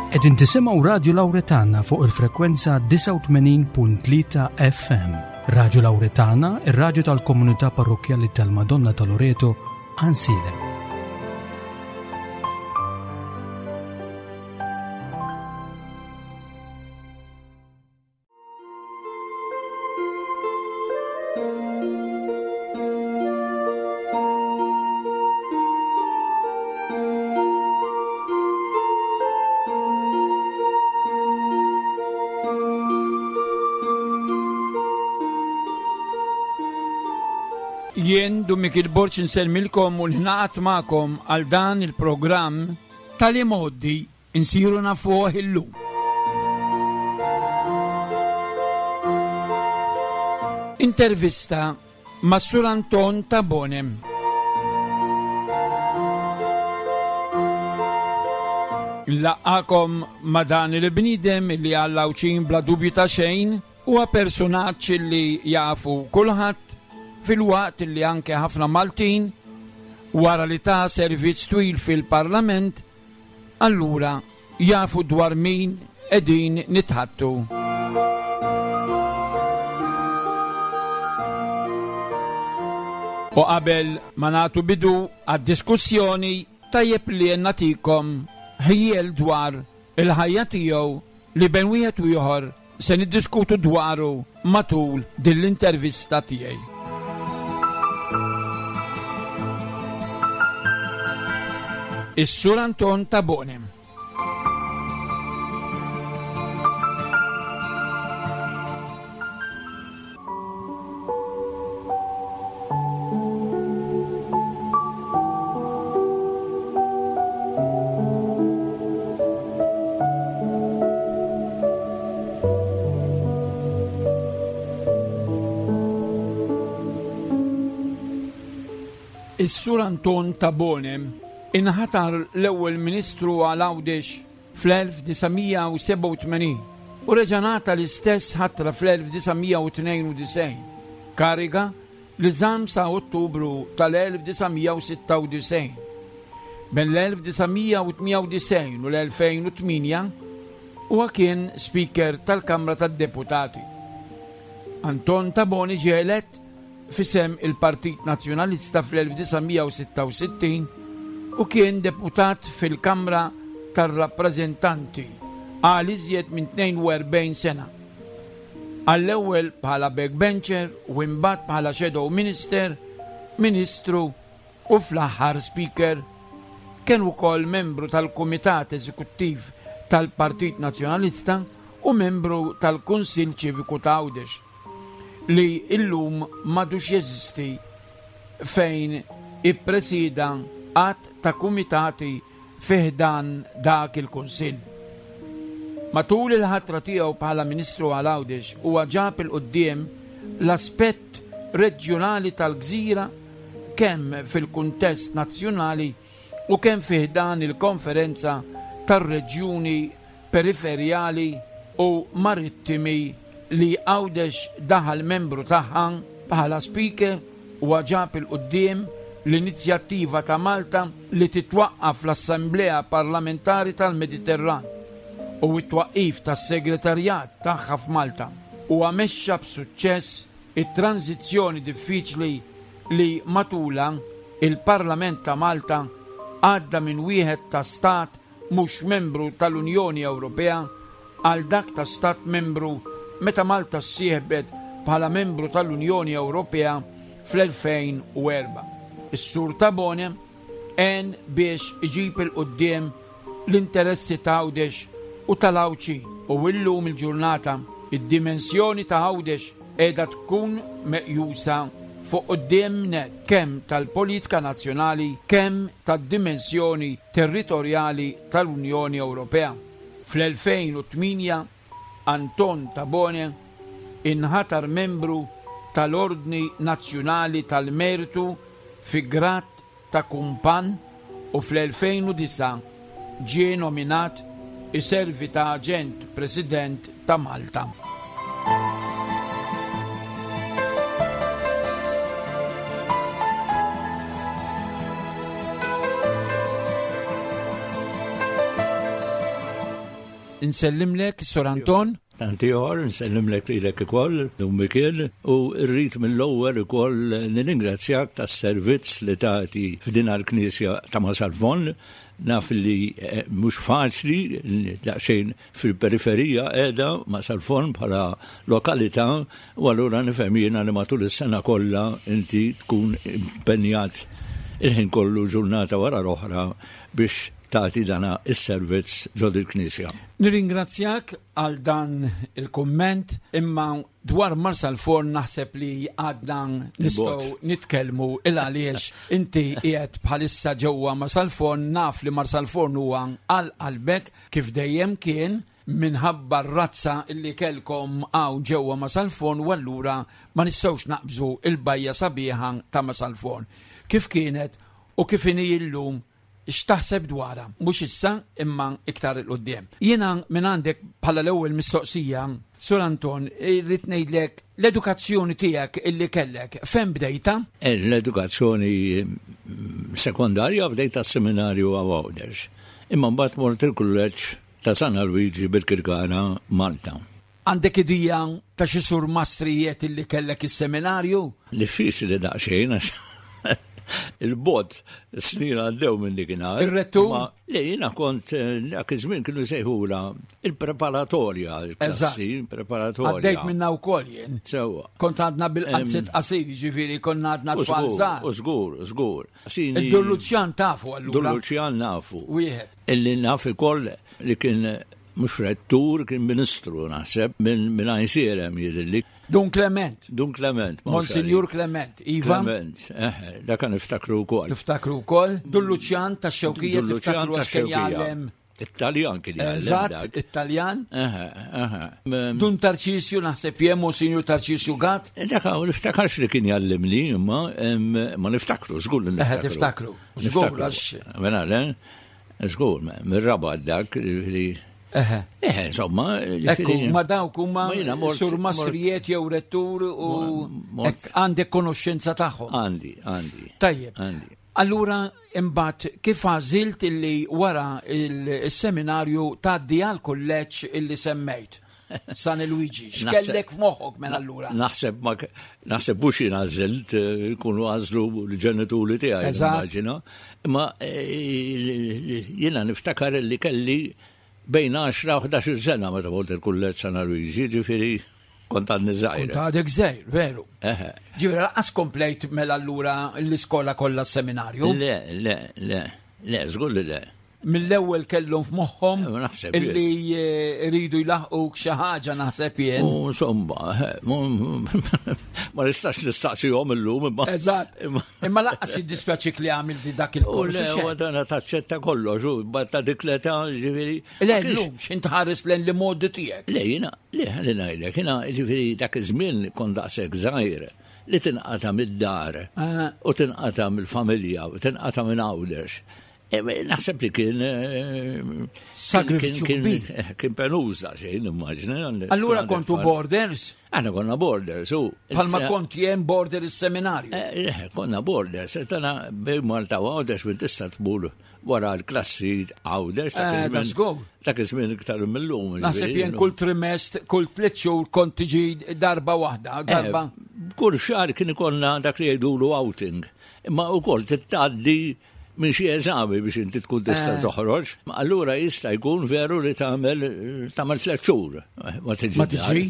Qegħdin tisimgħu Radju Lawretana fuq il-frekwenza 89.3 FM. Radju Lawretana, ir-radju tal-komunità parrokkjali tal-Madonna ta' Loreto, Għansielem. Jien Dun Mikiel Borg insellmilkom u ningħaqad magħkom għal dan il-programm tal-imgħoddi Insiru nafuh illum. Intervista ma' Sur Anton Tabone. Nlaqqakom ma' dan il-bniedem li għall-Għawdxin bla dubju ta' xejn huwa persunaġġ li jafu kulħadd filwaqt li anke ħafna Maltin wara li ta servizz twil fil-Parlament Allura jafu dwar min qegħdin nitħaddtu. U qabel ma nagħtu bidu għad-diskussjoni tajjeb li nagħtikom ħjiel dwar il-ħajja tiegħu li bejn wieħed u ieħor Se niddiskutu dwaru matul din l-intervista tiegħi. Is-Sur Anton Tabone. Is-Sur Anton Tabone inħatar l-ewwel Ministru għal Għawdex fl-1987 u reġa' ngħata l-istess ħatra fl-1992, kariga li żamm sa Ottubru tal-1996. Bejn l-1998 u l-2008 huwa kien Speaker tal-Kamra tad-Deputati. Anton Tabone ġie elett f'isem il-Partit Nazzjonalista fl-1966 u kien deputat fil-Kamra tar-Rappreżentanti għal iżjed minn 42 sena. Għall-ewwel bħala backbencher u imbagħad bħala shadow minister, ministru u fl-aħħar speaker. Kien ukoll membru tal-Kumitat Eżekuttiv tal-Partit Nazzjonalista u membru tal-Kunsill Ċiviku ta' Għawdex, li illum m'għadux jeżisti, fejn ippresieda għadd ta' kumitati fi ħdan dak il-Kunsill. Matul il-ħatra tiegħu bħala Ministru għal Għawdex huwa ġab 'il quddiem l-aspett reġjunali tal-gżira kemm fil-kuntest nazzjonali u kemm fi ħdan il-Konferenza tar-Reġjuni Periferjali u Marittimi li Għawdex daħal membru tagħha bħala Speaker Huwa ġab 'il quddiem l-inizjattiva ta' Malta li titwaqqaf l-Assemblea Parlamentari tal-Mediterran u t-twaqqif tas-Segretarjat tagħha f'Malta. Huwa mexxa b'suċċess it-tranżizzjoni diffiċli li matulha il-Parlament ta' Malta għadda minn wieħed ta' stat mhux membru tal-Unjoni Ewropea għal dak ta' Stat Membru meta Malta ssieħbet bħala membru tal-Unjoni Ewropea fl-2004. Is-Sur Tabone għen biex iġib 'il quddiem l-interessi ta' Għawdex u tal-Għawdxin u illum il-ġurnata id-dimensjoni ta' Għawdex qiegħda tkun meqjusa fuq quddiem nett kemm tal-politika nazzjonali kemm tad-dimensjoni territorjali tal-Unjoni Ewropea. Fl-2008 Anton Tabone inħatar membru tal-Ordni Nazzjonali tal-Mertu fi grad ta' Kumpann u fl-2009 ġie nominat iservi ta' Aġent President ta' Malta. Insellimlek, Sur Anton. Tant ieħor, nsellimlek lilek ukoll, Dun Mikiel, u rrid mill-ewwel ukoll nirringrazzjak tas-servizz li tagħti f'din l-Knisja ta' Marsalforn. Naf li eh, mhux faċli daqsxejn fil-periferija qiegħda Marsalforn bħala lokalità u allura nifhem jiena li matul is-sena kollha inti tkun impenjat il-ħin kollu ġurnata wara l-oħra biex tagħti dana is-servizz ġo dil-knisja. Nirringrazzjak għal dan il-kumment, imma dwar Marsalforn naħseb li għadna nistgħu nitkellmu il għaliex inti qiegħed bħalissa ġewwa Marsalforn, naf li Marsalforn huwa għal qalbek kif dejjem kien minħabba r-razza li kellkom hawn ġewwa Marsalforn u allura ma nistgħux naqbżu il-bajja sabiħa ta' Marsalforn. Kif kienet u kif inhi llum x'taħseb dwarha, mhux issa imma iktar 'il quddiem. Jiena minn għandek bħala l-ewwel mistoqsija, Sur Anton, irrid ngħidlek l-edukazzjoni tiegħek illi kellek fejn bdejtha? L-edukazzjoni sekondarja bdejtha s-seminarju hawn Għawdex. Imma mbagħad mort il-kulleġġ ta' San Alwiġi bil-Kirkara Malta. Għandek idea ta' xi surmastrijiet illi kellek is-seminarju? Diffiċli daqsxejn għax il-bot snin għaddew minn dikinhar. Ir-rettur? Le jiena kont eh, dak iż-żmien kienu sejħula il-preparatorja, il-klassi preparatorja. Għaddejt minna wkoll jien. Sewwa. Kont għadna bil-qanzit qasir, jiġifieri konna għadna tfal żgħar. U żgur, żgur. Id-Dun Luċjan tafu allura. Dun Luċjan nafu. Wieħed. Illi naf ukoll li kien mhux rettur, kien ministru naħseb minn min Għajnsielem jidhirli. Dun Clement. Dun Clement. Monsignor Clement, Iva. Clement, eh, dak niftakru wkoll. Tiftakru wkoll. Dun Luċjan tax-Xewkija tiftakru għax kien jgħallem. It-Taljan kien jgħallem. Eżatt, it-Taljan. Dun Tarċisju naħseb jien Monsignor Tarċisju Gatt. Eh, dak niftakarx li kien jgħallimni, imma ma niftakru, żgur li niftakru. Tiftakru. Żgur għax. Mela, le? Żgur, mir-Rabat dak li. Eħe. Eħe, insomma. Ekku, ma dawk huma sur mastrijiet jew rettur u għandek konoxxenza tagħhom. Għandi, għandi. Tajjeb. Allura imbagħad kif għażilt illi wara il-seminarju tgħaddi għal kulleġġ illi semmejt? San Luigi, x'kellek f'moħħok mela allura? Naħseb ma naħseb mhux jien għażilt, eh, jkunu għażlu l-ġenituri tiegħi immaġina. Imma eh, jiena niftakar li kelli bejn 10 u 11 sena meta mort il-kulleġġ San Luigi, ġifieri kont għadni żgħir. Kont għadek żgħir, veru. Ġifieri lanqas komplejt mela allura l-iskola kollha s-seminarju? Le, le, le, le, żgur li le. Mill-ewwel kellhom f'moħħhom illi eh, iridu jlaħquk xi ħaġa naħseb jien. U insomma, eh, ma nistax nistaqsihom illum imma. Eżatt. Imma laqqas jiddispjaċik li għamilti dak il-kors. Le, u dana taċċetta kollox, u ta' dik l-età, ġifieri. Le, llum x'int ħares lejn li modi tiegħek. Le, jiena, le, ħalli ngħidlek, jiena ġifieri dak iż-żmien kont daqshekk żgħir li tinqata' mid-dar ah. u tinqata' mill-familja u tinqata' minn Għawdex. Eh, naħseb li kien eh, sagrifiċċju kbir. Eh, kien penuża xejn, immaġna. Allura kontu borders? Aħna konna borders, u. Palma kont jien border is-seminarju. Konna borders, tana bej Malta u Għawdex minn tista' tmur wara l-klassi Għawdex. Dak iż-żmien iktar mill-lum. Naħseb jien kull trimest, kull tliet xhur kont tiġi darba waħda, darba. Kull xahar kien ikollna dak li jgħidulu outing. Imma wkoll titgħaddi minn xi eżami biex inti tkun tista' eh. toħroġ. Allura jista' jkun veru li tagħmel tagħmel tliet xhur. Ma tiġi. Ma tiġi.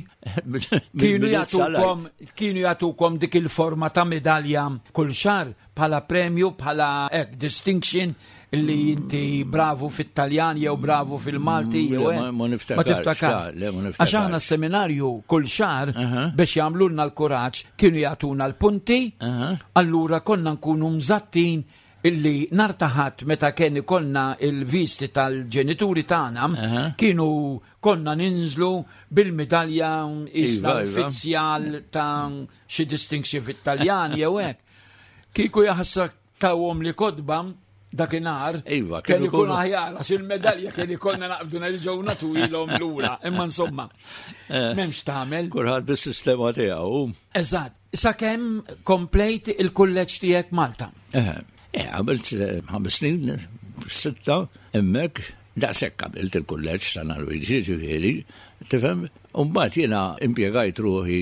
Kienu jagħtukom kienu jagħtukom dik il-forma ta' medalja kull xahar bħala premju bħala hekk distinction li inti bravu fit-Taljan jew bravu fil-Malti mm, jew ma niftakar. Ma tiftakar. Għax aħna s-seminarju kull xahar biex jagħmlulna l-kuraġġ kienu jagħtuna l-punti, allura konna nkunu mżattin illi nhar ta' Ħadd meta kien ikollna il-visti tal-ġenituri tagħna kienu konna ninżlu bil-midalja isna iva, iva. uffiċjal ta' xi distinction fit-Taljan jew hekk. Kieku jaħsra tawhom li kotba dakinhar iva, kien ikun aħjar għax il-medalja kien ikollna naqbdu nerġgħu nagħtuhilhom lura. Imma insomma, eh, m'hemmx tagħmel. Kulħadd bis-sistema tiegħu. Eżatt. Sakemm komplejt il-kulleġġ tiegħek Malta. Eh, eh, għamilt eh, ħames snin, sitta, hemmhekk. Daqshekk għamilt il-kulleġġ San Alwiġi ġifieri, tifhem? U mbagħad jiena impjegajt ruħi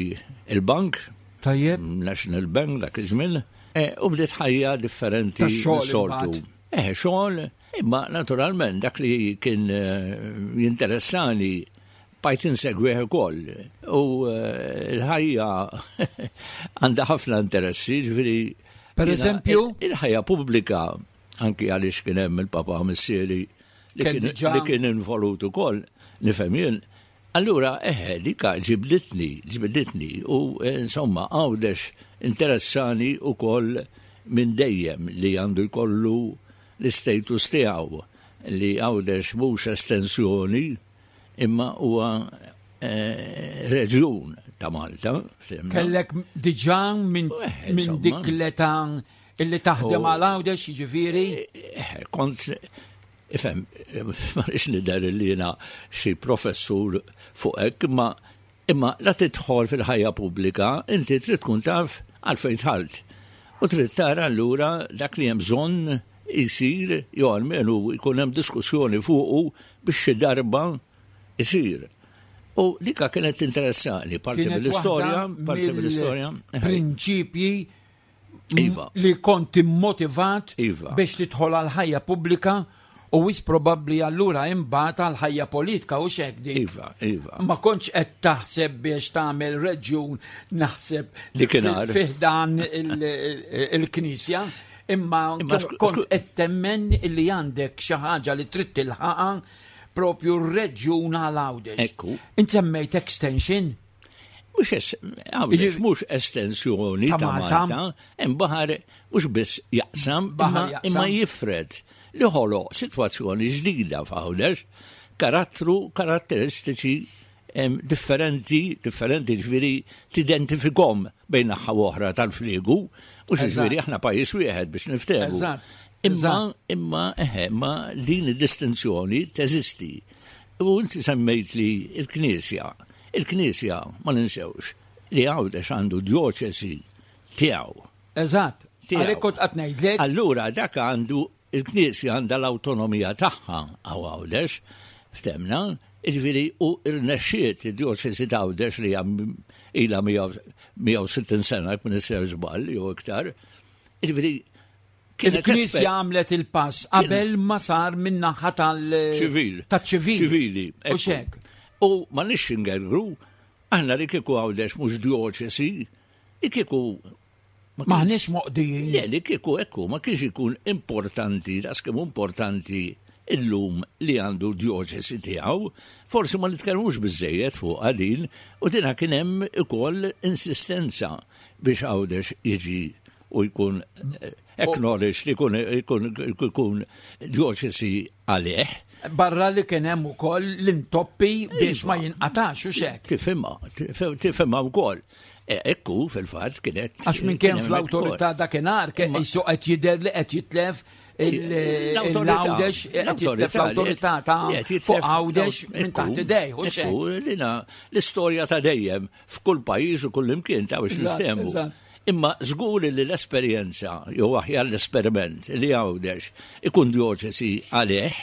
il-bank. Tajjeb. National Bank dak iż-żmien, e, u bdiet ħajja differenti soltu. Eh, xogħol, imma naturalment dak li kien eh, jinteressani bajt insegwih ukoll. U eh, l-ħajja għandha ħafna interessi, ġifieri. Per eżempju? Il-ħajja pubblika anki għaliex kien hemm il-papa missieri li kien involut ukoll, nifhem jien. Allura, eħe, dika ġibditni, ġibditni, u eh, insomma, għawdex interessani u koll minn dejjem li għandu jkollu l-status tiegħu li għawdex mhux estensjoni imma huwa eh, reġjun ta' Malta. Kellek diġà minn eh, dik l-età Illi taħdem għal Għawdex jiġifieri? Eh, kont ifhem, ma rridx nidher li jiena xi professur fuq hekk, imma imma la tidħol fil-ħajja pubblika, inti trid tkun taf għalfejn dħalt. U trid tara allura dak li hemm bżonn jsir jew almenu jkun hemm diskussjoni fuqu biex xi darba isir. U dika kienet tinteressani, parti mill-istorja, parti mill-istorja. Prinċipji iva. li kont immotivat iva. biex tidħol għal ħajja pubblika u wis probabbli allura imbagħad għal ħajja politika u xek dik. Iva, iva. Ma kontx qed taħseb biex tagħmel reġjun naħseb fih dan il-knisja, imma kont qed temmen li għandek xi ħaġa li trid tilħaqha propju r-reġjun għal Għawdex. Ekku. Int semmejt extension? Mhux Għawdex mhux estensjoni ta' Malta, hemm baħar mhux biss jaqsam, imma jifred li ħoloq sitwazzjoni ġdida f'Għawdex, karattru, karatteristiċi differenti, differenti ġifieri tidentifikhom bejn naħa oħra tal-fliegu, mhux ġifieri aħna pajjiż wieħed biex niftehmu. Imma, imma, eħe, ma din id-distinzjoni teżisti. U inti semmejt li l-Knisja Il-Knisja, ma ninsewx, li Għawdex għandu djoċesi tiegħu. Eżatt. Għalhekk kont qed ngħidlek. Allura dak għandu il-Knisja għandha l-awtonomija tagħha għaw Għawdex, ftemna, jiġifieri u rnexxiet id-djoċesi ta' Għawdex li ilha 160 sena jekk ma nisser żball jew iktar. Jiġifieri Il-Knisja għamlet il-pass qabel ma sar min-naħa tal-ċivil. Taċ-ċivil. Ċivili. U xek. U ma nix ingergru, aħna li kieku għawdex mhux djoċesi, li kieku Maħniex moqdijin. Le, li kieku ekku, ma kienx ikun importanti, daqs kemm importanti illum li għandu djoċesi tiegħu, forsi ma nitkellmux biżejjed fuq din, u dina kien hemm ukoll insistenza biex Għawdex jiġi u jkun eh, acknowledged li jkun jkun djoċesi għalih. Barra li kien hemm ukoll l-intoppi biex ma iva. jinqatax u xek. Tifhimha, tifhimha wkoll. E, ekku fil-fatt kienet. Għax minn kien fl-awtorità dakinhar kien qisu qed jidher li qed jitlef l-għawdex qed jitlef l-awtorità ta' fuq għawdex minn taħt idej. L-istorja ta' dejjem f'kull pajjiż u kull imkien ta' biex niftehmu. Imma żgur li l-esperjenza jew aħjar l-esperiment li Għawdex ikun djoċesi għalih,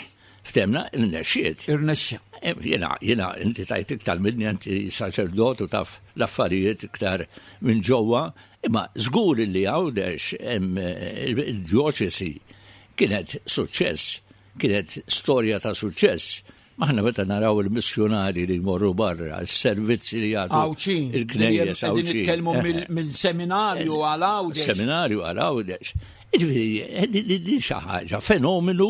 ftemna, irnexxiet. Irnexxa. Eh, jiena, jiena, inti tajt iktar minni, inti saċerdot u taf l-affarijiet iktar minn ġewwa, imma żgur li Għawdex il-djoċesi kienet suċċess, kienet storja ta' suċċess Aħna meta naraw il-missjunari li jmorru barra, s-servizzi li jagħtu. Għawċin. Il-knejjes Għawċin. Nitkellmu mill-seminarju għal Għawdex. Seminarju għal Għawdex. Jiġifieri, eh, din xi ħaġa, fenomenu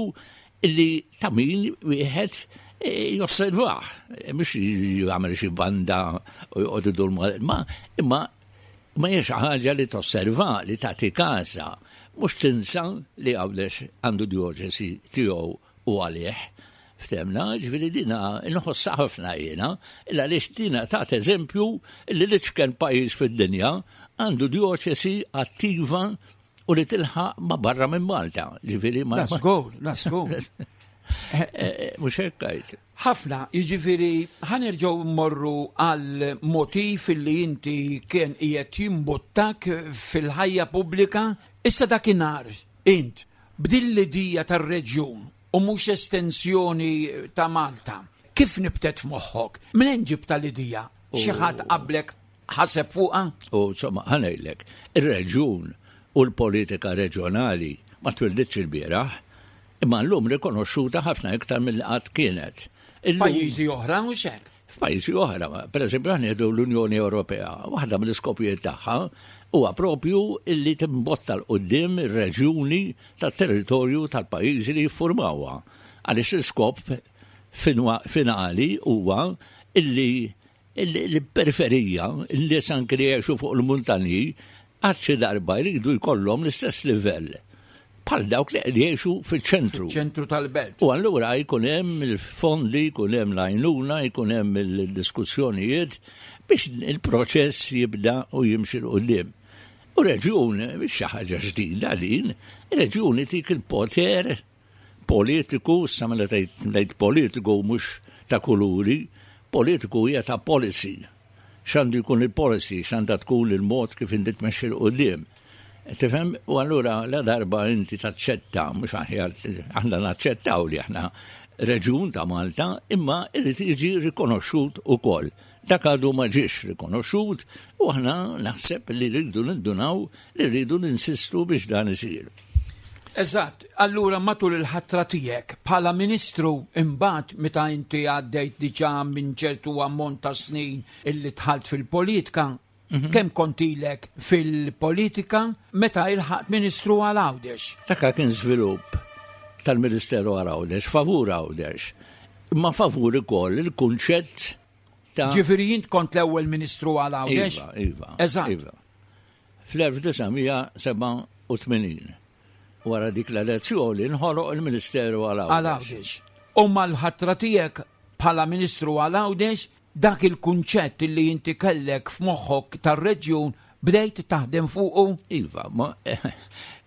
li ta' min wieħed eh, josservah, eh, mhux jagħmel xi banda u joqgħod idur ma imma ma hija xi ħaġa li tosserva, li tagħti każa, mhux tinsa li Għawdex għandu djoċesi tiegħu u għalih. Ftemna, ġifieri dina nħossha ħafna jiena, illa għaliex dina tat eżempju li l-iċken pajjiż fid-dinja għandu djoċesi attiva u li tilħaq ma barra minn Malta. Ġifieri ma. That's good, that's good. Eh, eh, mhux hekk għajt. Ħafna, jiġifieri ħanerġgħu mmorru għal motiv li inti kien qiegħed jimbuttak fil-ħajja pubblika issa dakinhar int b'din l-idea tar-reġjun. u mhux estensjoni ta' Malta. Kif nibtet f'moħħok? Minn ġibta l-idea? Xi ħadd qablek ħaseb fuqha? U insomma, ħa ngħidlek, ir-reġjun u l-politika reġjonali ma twilditx ilbieraħ, imma llum rikonoxxuta ħafna iktar milli qatt kienet. F'pajjiżi oħra mhux hekk? F'pajjiżi oħra, pereżempju aħna nieħdu l-Unjoni Ewropea, waħda mill-iskopijiet tagħha huwa propju illi timbotta 'l quddiem ir-reġjuni tat-territorju tal-pajjiżi li jiffurmawha. Għaliex l-iskop finali huwa illi l-periferija, in-nies anki li jgħixu fuq il-muntanji, għad xi darba jridu jkollhom l-istess livell bħal dawk li jgħixu fiċ-ċentru. Ċentru tal-belt. U allura jkun hemm il-fondi, jkun hemm l-għajnuna, jkun hemm il-diskussjonijiet biex il-proċess jibda u jimxi 'l quddiem. U reġjun, mhix xi ħaġa ġdida din, reġjun itik il-poter politiku, issa mela tgħid politiku mhux ta' kuluri, politiku hija ta' policy. X'għandu jkun il-policy, x'għandha tkun il-mod kif inti tmexxi 'l quddiem. Tifhem? U allura la darba inti taċċetta, mhux aħjar aħna naċċettaw li aħna reġjun ta' Malta, imma irid jiġi rikonoxxut ukoll. Dak għadu ma ġiex rikonoxxut u aħna naħseb li rridu nindunaw li rridu ninsistu biex dan isir. Eżatt, allura matul il-ħatra tiegħek bħala Ministru imbagħad meta inti għaddejt diġà minn ċertu ammont ta' snin illi dħalt fil-politika, mhm. kemm kont ilek fil-politika meta ilħaqt Ministru għal Għawdex? Dak kien żvilupp tal-Ministeru għal Għawdex, favur Għawdex, imma favur ukoll il-kunċett ta' Ġifieri int kont l-ewwel Ministru għal Għawdex? Iva, iva. Eżatt. Iva. Fl-1987, wara dik l-elezzjoni, nħoloq il-Ministeru għal Għawdex. Għal Għawdex. U mal-ħatra tiegħek bħala Ministru għal Għawdex, dak il-kunċett li inti kellek f'moħħok tar-reġjun bdejt taħdem fuqu? Iva, ma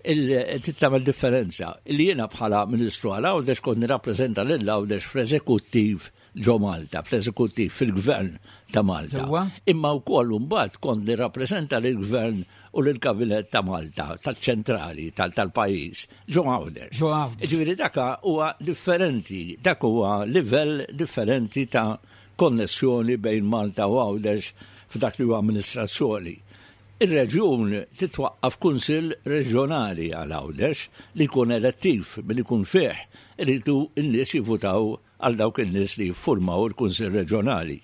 trid tagħmel differenza. Li jiena bħala Ministru għal Għawdex kont nirrappreżenta lil Għawdex fl-eżekuttiv ġo Malta, fl-eżekuttiv, fil-gvern ta' Malta. Imma wkoll imbagħad kont nirrappreżenta lill-gvern u lill-kabinett ta' Malta, tal-ċentrali, tal-pajjiż, ġo Għawdex. Ġo Għawdex. Ġifieri dak huwa differenti, dak huwa livell differenti ta' konnessjoni bejn Malta u Għawdex f'dak li huwa amministrazzjoni. Ir-reġjun titwaqqaf kunsill reġjonali għal Għawdex li jkun elettiv billi jkun fih iridu n-nies jivvutaw għal dawk in-nies li jiffurmaw il-Kunsill Reġjonali.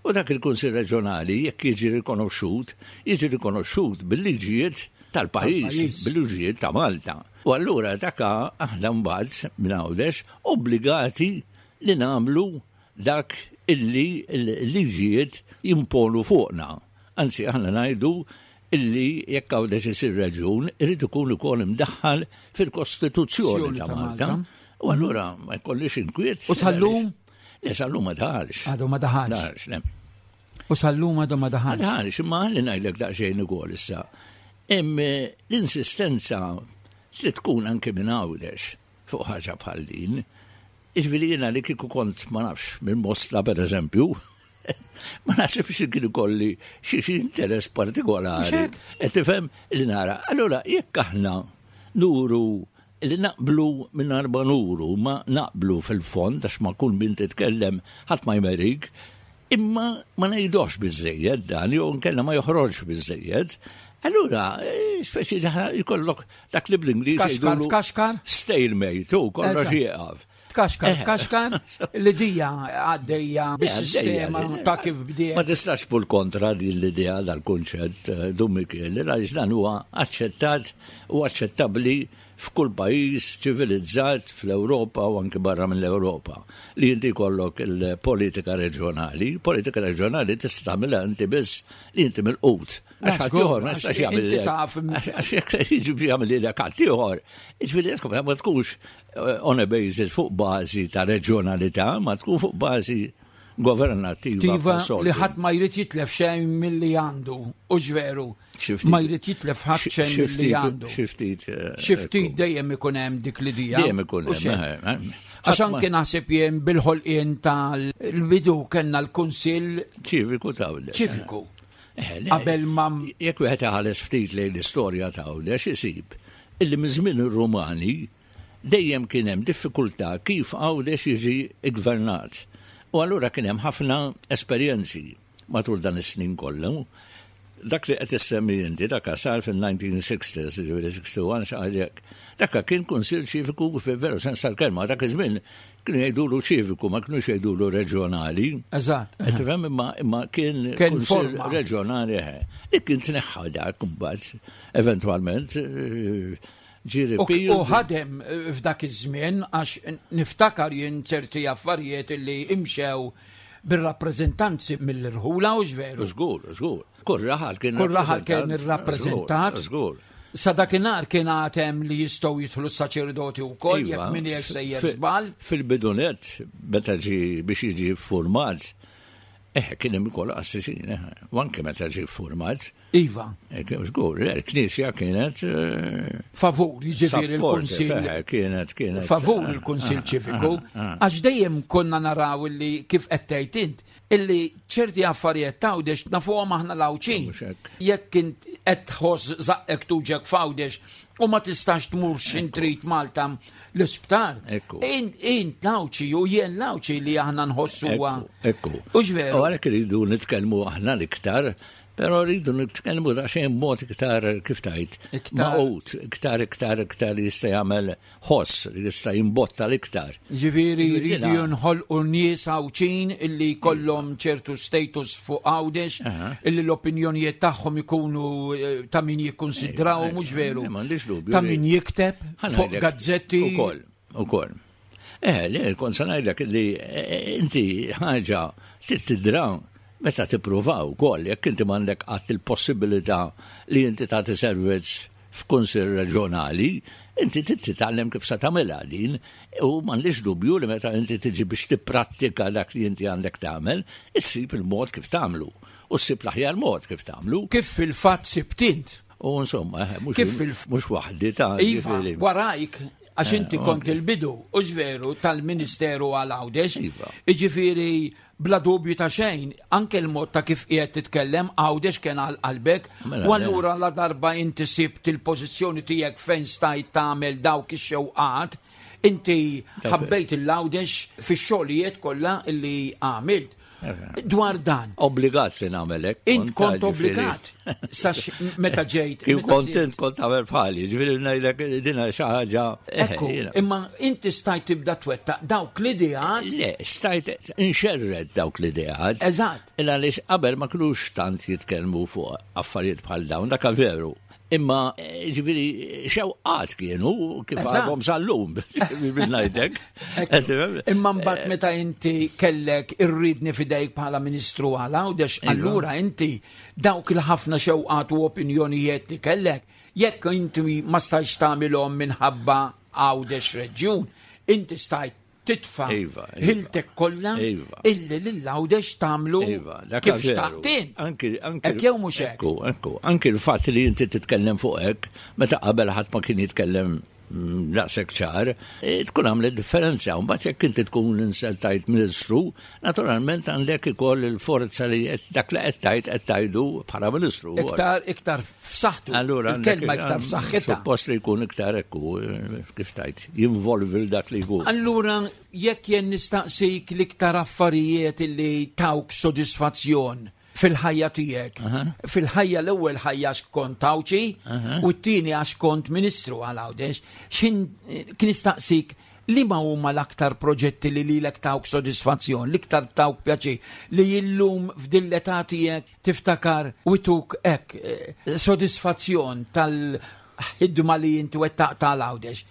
U dak il-Kunsill Reġjonali jekk jiġi rikonoxxut, jiġi rikonoxxut bil-liġijiet tal-pajjiż, bil-liġijiet ta' Malta. U allura dak aħna mbagħad minn Għawdex obbligati li nagħmlu dak illi l-liġijiet jimponu fuqna. Anzi aħna ngħidu illi jekk Għawdex isir reġjun irid ikun ukoll imdaħħal fil-Kostituzzjoni ta' Malta. U allura ma jkollix inkwiet. U sal-lum? Le sal-lum ma daħalx. Għadu ma daħalx. Daħalx, le. U sal-lum għadu ma daħalx. Ma daħalx, imma ħalli ngħidlek daqsxejn ukoll issa. Hemm eh, l-insistenza trid tkun anke minn Għawdex fuq ħaġa bħal din. Jiġifieri jiena li kieku kont ma nafx minn Mosta pereżempju, ma naħsibx li kien ikolli xi xi interess partikolari. Qed tifhem li nara. Allura jekk aħna nuru li naqblu mingħajr ma nuru, ma naqblu fil-fond għax ma kull min titkellem ħadd ma jmerik, imma ma ngħidux biżejjed dan jew nkella ma joħroġx biżejjed. Allura, eh, speċi jkollok Dak li bl-Ingliż jgħidulu. Tkaxkar, Stalemate, u kollox jieqaf. Tkaxkar, eh. tkaxkar, l-idea għaddejja bis-sistema ta' kif bdiet. Ma tistax pur kontra din l-idea dal-kunċett, eh, Dun Mikiel, għaliex dan huwa aċċettat u aċċettabbli f'kull pajjiż ċivilizzat fl-Ewropa u anki barra mill-Ewropa li inti jkollok il-politika reġjonali. Politika reġjonali tista' tagħmilha inti biss li inti mill-qut. Għax ħaddieħor ma jistax jagħmel. Għax jekk jiġi biex jagħmel lilek ħaddieħor, jiġifieri ma tkunx eh, on a basis fuq bażi ta' reġjonalità, ma tkun fuq bażi governattiva. Li ħadd ma jrid jitlef xejn milli għandu, u ġveru. Ma jrid jitlef ħadd xejn milli għandu. Xi ftit. Eh, xi ftit dejjem ikun hemm dik l-idea. Dejjem ikun hemm. Eh, Għax anke naħseb jien bil-ħolqien tal-bidu kellna l-Kunsill Ċiviku ta' Ċiviku. Eh, Qabel ma. Jekk wieħed iħares ftit lejn l-istorja ta' Għawdex isib illi minn żmien ir-Rumani Dejjem kien hemm diffikultà kif Għawdex jiġi ggvernat. U allura kien hemm ħafna esperjenzi matul dan is-snin kollu. Dak li qed issemmi inti dak sar fil-1960s, jiġifieri 61 xi ħaġa hekk. Dak kien kunsill ċiviku fil-veru sens tal-kelma, dak iż-żmien kienu jgħidulu ċiviku, ma kinux jgħidulu reġjonali. Eżatt. Qed tifhem imma imma kien Kien kunsill forma. reġjonali eħe. Li kien tneħħa dak imbagħad eventwalment eh, ġie U repealed. u ħadem eh, f'dak iż-żmien għax niftakar jien ċerti affarijiet li imxew bir-rappreżentanzi mill-irħula u veru. Żgur, żgur. Kull raħal kien Kull raħal kien irrappreżentat. Żgur. Sa dakinhar kien għatem li jistgħu jidħlu s-saċerdoti wkoll Iva, jekk min hekk sejjer fi- żball. Fil-bidunet, meta ġi biex jiġi format, eh, kien hemm ukoll qassisin, eh, u anke meta ġi format, Iva, eh, kien żgur, eh, il-Knisja kienet eh, favur jiġifieri supportive, il-Kunsill eh, kienet kienet favur eh, il-Kunsill eh, Ċiviku, eh, eh. għax dejjem konna naraw illi kif qed tgħid int, illi ċerti affarijiet t'Għawdex nafuhom aħna l-Għawdxin. Mhux hekk. Jekk int qed tħoss żaqqek tuġek f'Għawdex u ma tistax tmur x'in trid Malta l-isptar. Ekku. Int int l-Għawdxi u jien l-Għawdxi li aħna nħossuha. Ekku. ekku. Hux veru? U għalhekk iridu nitkellmu aħna l-iktar, però rridu nitkellmu daqsxejn mod iktar kif tajt. Iktar- Maqut, iktar, iktar, iktar li jista' jagħmel ħoss, li jista' jimbotta l-iktar. Ġifieri Ġifieri jridu jiena- jinħolqu nies Għawdxin illi jkollhom ċertu status fuq Għawdex, Aha. illi l-opinjonijiet tagħhom ikunu eh, ta' min jikkonsidraw Ejja, mhux ejja, veru. eh, m'għandix dubju Ta' li- min jikteb Ħa fuq ngħidlek, gazzetti. Ukoll, ukoll. Eh, li kont se ngħidlek li eh, inti ħaġa trid tidra meta tippruvaw ukoll jekk inti m'għandek qatt il-possibilità li inti tagħti servizz f'kunsill reġjonali, inti trid titgħallem kif se tagħmilha din u m'għandix dubju li meta inti tiġi biex tipprattika dak li inti għandek tagħmel, issib il-mod kif tagħmlu u ssib l-aħjar mod kif tagħmlu. Kif fil-fatt sibt int. U insomma, eh, mhux Kif fil- mhux waħdi ta' Iva, ġifieri. warajk, għax Eh, inti kont ok. il-bidu, u veru, tal-Ministeru għal Għawdex. Iva. Iġifieri, bla dubju ta' xejn, anke l-mod ta' kif qiegħed titkellem Għawdex kien għal qalbek, Mela, u allura la darba inti sibt il-pożizzjoni tiegħek fejn stajt tagħmel dawk ix-xewqat, inti Dak- ħabbejt il-Għawdex fix-xogħlijiet kollha illi għamilt. Eh. Dwar dan, Obbligat li nagħmel hekk. int kont ġifieri. obbligat sa meta ġejt. Kif meta kont sirt- int kont tagħmel bħali, ġifieri ngħidlek dina xi ħaġa. eh, Ekku, jiena. imma inti stajt tibda twettaq dawk l-ideat. Le, stajt inxerred dawk l-ideat. Eżatt. Illa għaliex qabel ma kinux tant jitkellmu fuq affarijiet bħal dawn, dak veru. Imma eh, ġifieri xewqat kienu kif Eżatt. għadhom sal-lum, bil ngħidlek. Imma mbagħad meta inti kellek irridni fidejk bħala Ministru għal Għawdex, Iva. allura inti dawk il-ħafna xewqat u opinjonijiet li kellek, jekk inti ma stajtx tagħmilhom minħabba Għawdex reġjun, inti stajt titfa' Iva, iva. ħiltek kollha Iva. illi lil Għawdex tagħmlu Iva, dak kif veru. xtaqt int. Anki, anki. Hekk jew mhux hekk. Ekku, ekku. Anki l-fatt li inti titkellem fuq hekk, meta qabel ħadd ma kien jitkellem mm, daqshekk ċar, eh, tkun għamlet differenza. U mbagħad jekk inti tkun inseltajt ministru, naturalment għandek ikoll il-forza li qed- dak li qed tgħid qed tgħidu bħala ministru. Iktar iktar f'saħħtu. Allura, il-kelma għandek- iktar f'saħħitha. Suppost li jkun iktar ekku, eh, kif tajt, jinvolvi l dak li jkun. Allura, jekk jien nistaqsik l-iktar affarijiet li tawk sodisfazzjon fil-ħajja tiegħek. Fil-ħajja l-ewwel ħajja għax kont Għawdxi u t-tieni għax kont Ministru għal Għawdex. X'in kien nistaqsik li ma huma l-aktar proġetti li lilek tawk sodisfazzjon, l-iktar tawk pjaċir li illum f'din l-età tiegħek tiftakar u tuk hekk eh, sodisfazzjon tal-ħidma li inti wettaq tal-Għawdex.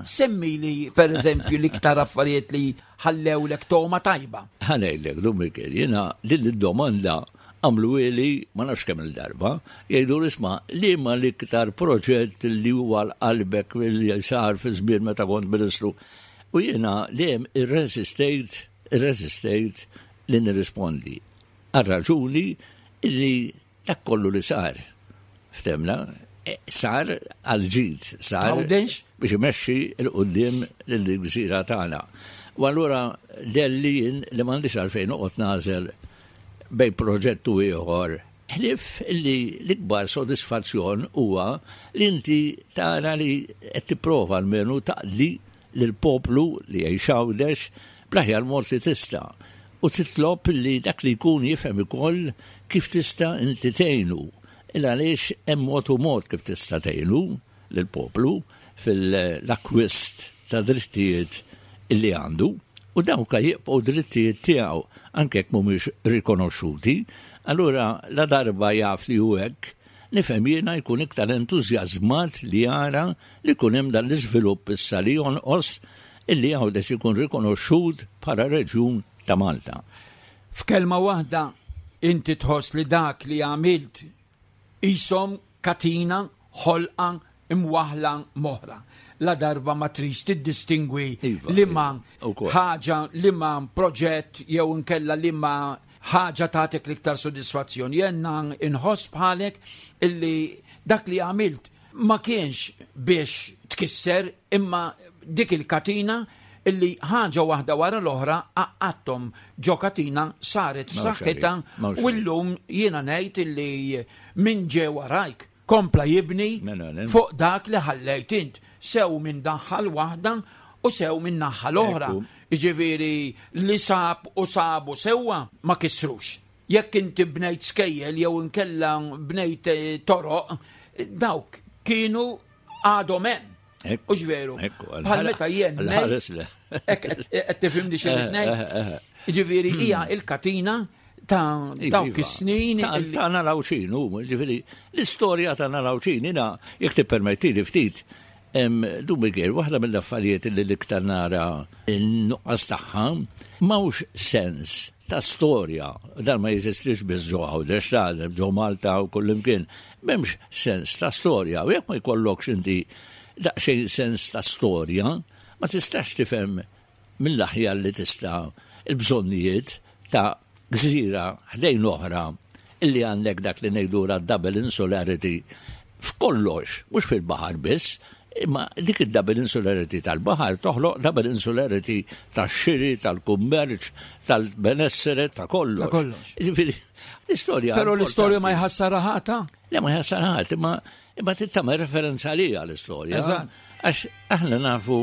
Semmi li, per eżempju, l-iktar affarijiet li ħallewlek toma tajba. Ħanejlek, dum Mikel, jena din id-domanda għamlu ili ma nafx kemm il-darba, jgħidu isma' li ma l-iktar proġett li huwa l-qalbek li sar fi żmien meta kont ministru. U jiena dejjem irreżistejt, irreżistejt li nirrispondi. Għal raġuni li dak kollu li sar. Ftemna, eh, sar għal ġid, sar Għawdex? biex imexxi l-qudiem lill-gżira tagħna. U allura delli jien li m'għandix għalfejn noqgħod nażel bejn proġett u ieħor. Ħlif li l-ikbar sodisfazzjon huwa li inti tara li qed tipprova almenu taqdi lill-poplu li jgħix Għawdex bl-aħjar mod li tista' u titlob li dak li jkun jifhem ukoll kif tista' inti tgħinu. Il għaliex hemm mod u mod kif tista' tgħinu lill-poplu fil-akkwist ta' drittijiet li għandu u dawk jibqgħu drittijiet tiegħu anke jekk mhumiex rikonoxxuti. Allura la darba jaf li hu hekk, nifhem jiena jkun iktar entużjażmat li jara li jkun hemm dan l-iżvilupp issa li jonqos illi Għawdex ikun rikonoxxut bħala reġjun ta' Malta. F'kelma waħda, inti tħoss li dak li għamilt qishom katina, ħolqa, imwaħħla m'oħra. Ladarba ma tridx tiddistingwi Iva, liema iva, ukoll. ħaġa, liema proġett jew inkella liema ħaġa tagħtik l-iktar sodisfazzjon. Jiena inħoss bħalek illi dak li għamilt ma kienx biex tkisser imma dik il-katina illi ħaġa waħda wara l-oħra għaqqadthom ġo katina saret f'saħħitha u llum jiena ngħid illi min ġie warajk kompla jibni fuq dak li ħallejt int, sew minn naħa l-waħda u sew minn naħa l-oħra. Jiġifieri li sab u sabu sewwa ma kissrux. Jekk inti bnejt skejjel jew inkella bnejt toroq, dawk kienu għadhom hemm. Hux veru? Bħal meta jien ngħid. Hekk qed tifhimni xi rrid ngħid? Jiġifieri hija l-katina ta' dawk is-snin. Ta' Nalawxin, ġifieri l-istorja ta' Nalawxin, jiena jekk tippermettili ftit, Dun Miguel, waħda mill-affarijiet li l-iktar nara n-nuqqas tagħha, m'hawnx sens ta' storja, dan ma jeżistix biss ġo Għawdex, ta' ġo Malta u kullimkien, m'hemmx sens ta' storja u jekk ma jkollokx inti daqsxejn sens ta' storja, ma tistax tifhem mill-aħjar li tista' l-bżonnijiet ta' gżira ħdejn oħra illi għandek dak li ngħidulha double insularity f'kollox, mhux fil-baħar biss, imma dik id-double insularity tal-baħar toħloq double insularity tax-xiri, tal-kummerċ, tal-benessere, ta' kollox. Ta' kollox. Ġifieri, l-istorja. Però l-istorja ma jħassarha ħadd, Le ma jħassarha ħadd, imma imma trid tagħmel referenza għaliha l-istorja. Għax aħna nafu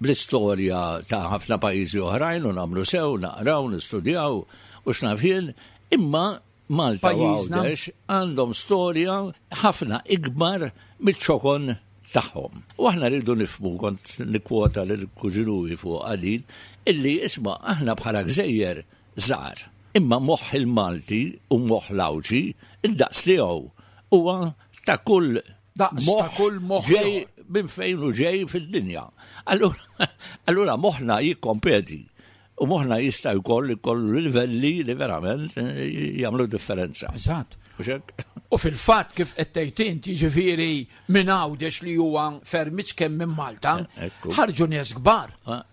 bl-istorja ta' ħafna pajjiżi oħrajn u nagħmlu sew, naqraw, nistudjaw u x'naf jien, imma Malta u Għawdex għandhom storja ħafna ikbar miċ-ċokon tagħhom. U aħna rridu nifhmu, kont nikkwota lil kuġinuwi fuq din, illi isma' aħna bħala gżejjer żgħar. Imma moħħ il-Malti u moħħ l-Għawdxi, id-daqs tiegħu huwa ta' kull Daqs ta' kull moħħ ġej minn fejn u ġej fid-dinja. Allura moħħna jikkompeti u moħħna jista' jkoll ikollu livelli li verament eh, jagħmlu differenza. Eżatt. U fil-fatt kif qed tgħid int, jiġifieri minn Għawdex li huwa ferm iċken minn Malta, eh, ħarġu nies kbar. Ah.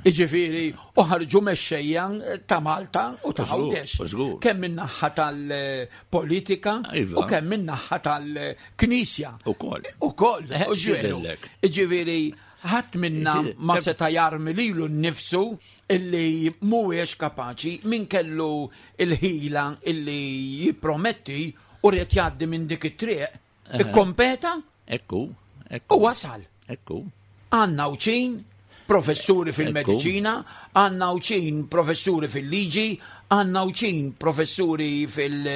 Jiġifieri, u ħarġu mexxejja ta' Malta u ta' Għawdex. Kemm min-naħa tal-politika iva. u kemm min-naħa tal-Knisja. Ukoll. Ukoll, eh, u ġveru. Jiġifieri, ħadd minna ma seta' jarmi lilu nnifsu illi mhuwiex kapaċi min kellu il-ħila illi jipprometti u ried jgħaddi minn dik it-triq Ikkompeta. Ekku, ekku. U wasal. Ekku. Għandna Għawdxin professuri fil-mediċina, għandna Għawdxin professuri fil-liġi, għandna Għawdxin professuri fil-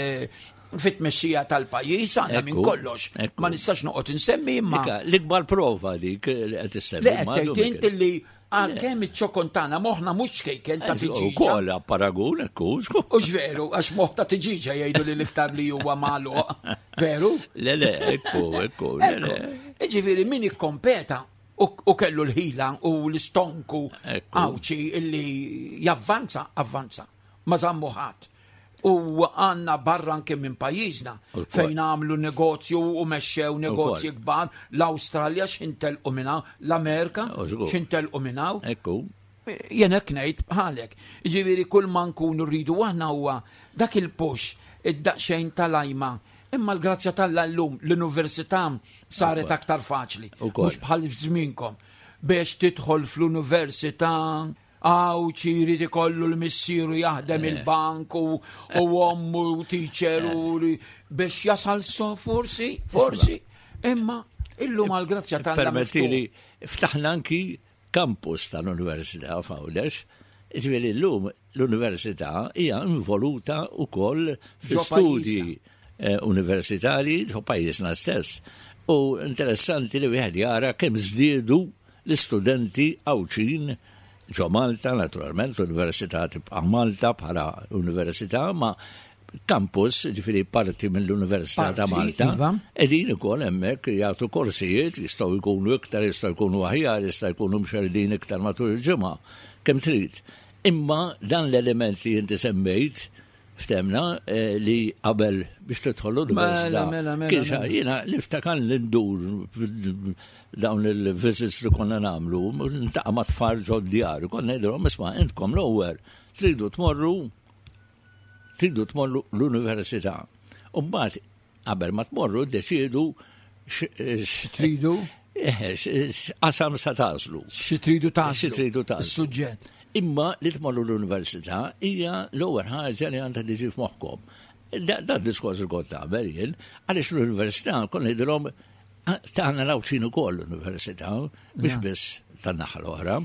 fit-tmexxija tal-pajjiż għandna minn kollox. Ma nistax noqgħod insemmi imma. L-ikbar prova dik li qed issemmi. Li qed tgħid int li Għalkemm iċ-ċokon tagħna moħħna mhux ċkejken ta' tiġiġa. Ukoll paragun ekku. Hux veru, għax moħħ ta' tiġiġa jgħidu li l-iktar li huwa magħluq. Veru? Le le, ekku, ekku. Jiġifieri min ikkompeta u kellu l-ħila u l-istonku għawċi illi javvanza, avvanza. Ma żammu ħadd. U għandna barra anke minn pajjiżna fejn għamlu negozju u mexxew negozji kbar, l-Awstralja x'intelqu minn hawn, l-Amerika x'intelqu minn hawn. Ekku. Jien hekk ngħid bħalek. Jiġifieri kull ma nkunu rridu aħna huwa dak il-push, id-daqsxejn tal-għajma. Imma l-grazzja t'Alla llum l-università saret aktar faċli. Mhux bħal f'żmienkom biex tidħol fl-università Għawċi jrid ikollu l-missieru jaħdem eh. il-bank u ommu u teacher u eh. biex jasal so forsi, forsi. Imma illum għal grazzja tal Permettili, ftaħna anki campus tal-Università f'Għawdex. Ġifieri llum l-Università hija involuta wkoll fi studji eh, universitarji ġo pajjiżna stess. U interessanti li wieħed jara kemm żdiedu l-istudenti Għawdxin ġo Malta, naturalment l-Università tibqa' Malta bħala università, ma campus, ġifiri parti mill-Università ta' Malta, iva. edin ukoll hemmhekk jagħtu korsijiet, jistgħu jkunu iktar, jistgħu jkunu aħjar, jistgħu jkunu mxerdin iktar matul il-ġimgħa, kemm trid. Imma dan l-element li inti semmejt, ftemna eh, li qabel biex tidħol l-università. Mela, mela, mela, Kien mela. jiena niftakar li ndur dawn il-visits li konna nagħmlu, ntaqa' ma' tfal ġod-djar, konna ngħidilhom isma' intkom l-ewwel tridu tmorru tridu tmorru l-università. U mbagħad qabel ma tmorru ddeċiedu x'tridu eh, x'qasam sa tażlu. Xi tridu tażlu. Xi tridu tażlu. Is-suġġett. Imma li tmorru l-università hija l-ewwel ħaġa li għandha tiġi f'moħħkom. Da diskors li kont nagħmel jien, għaliex l-università kon ngħidilhom tagħna l-Għawdxin ukoll l-università, biex biss tan-naħa l-oħra.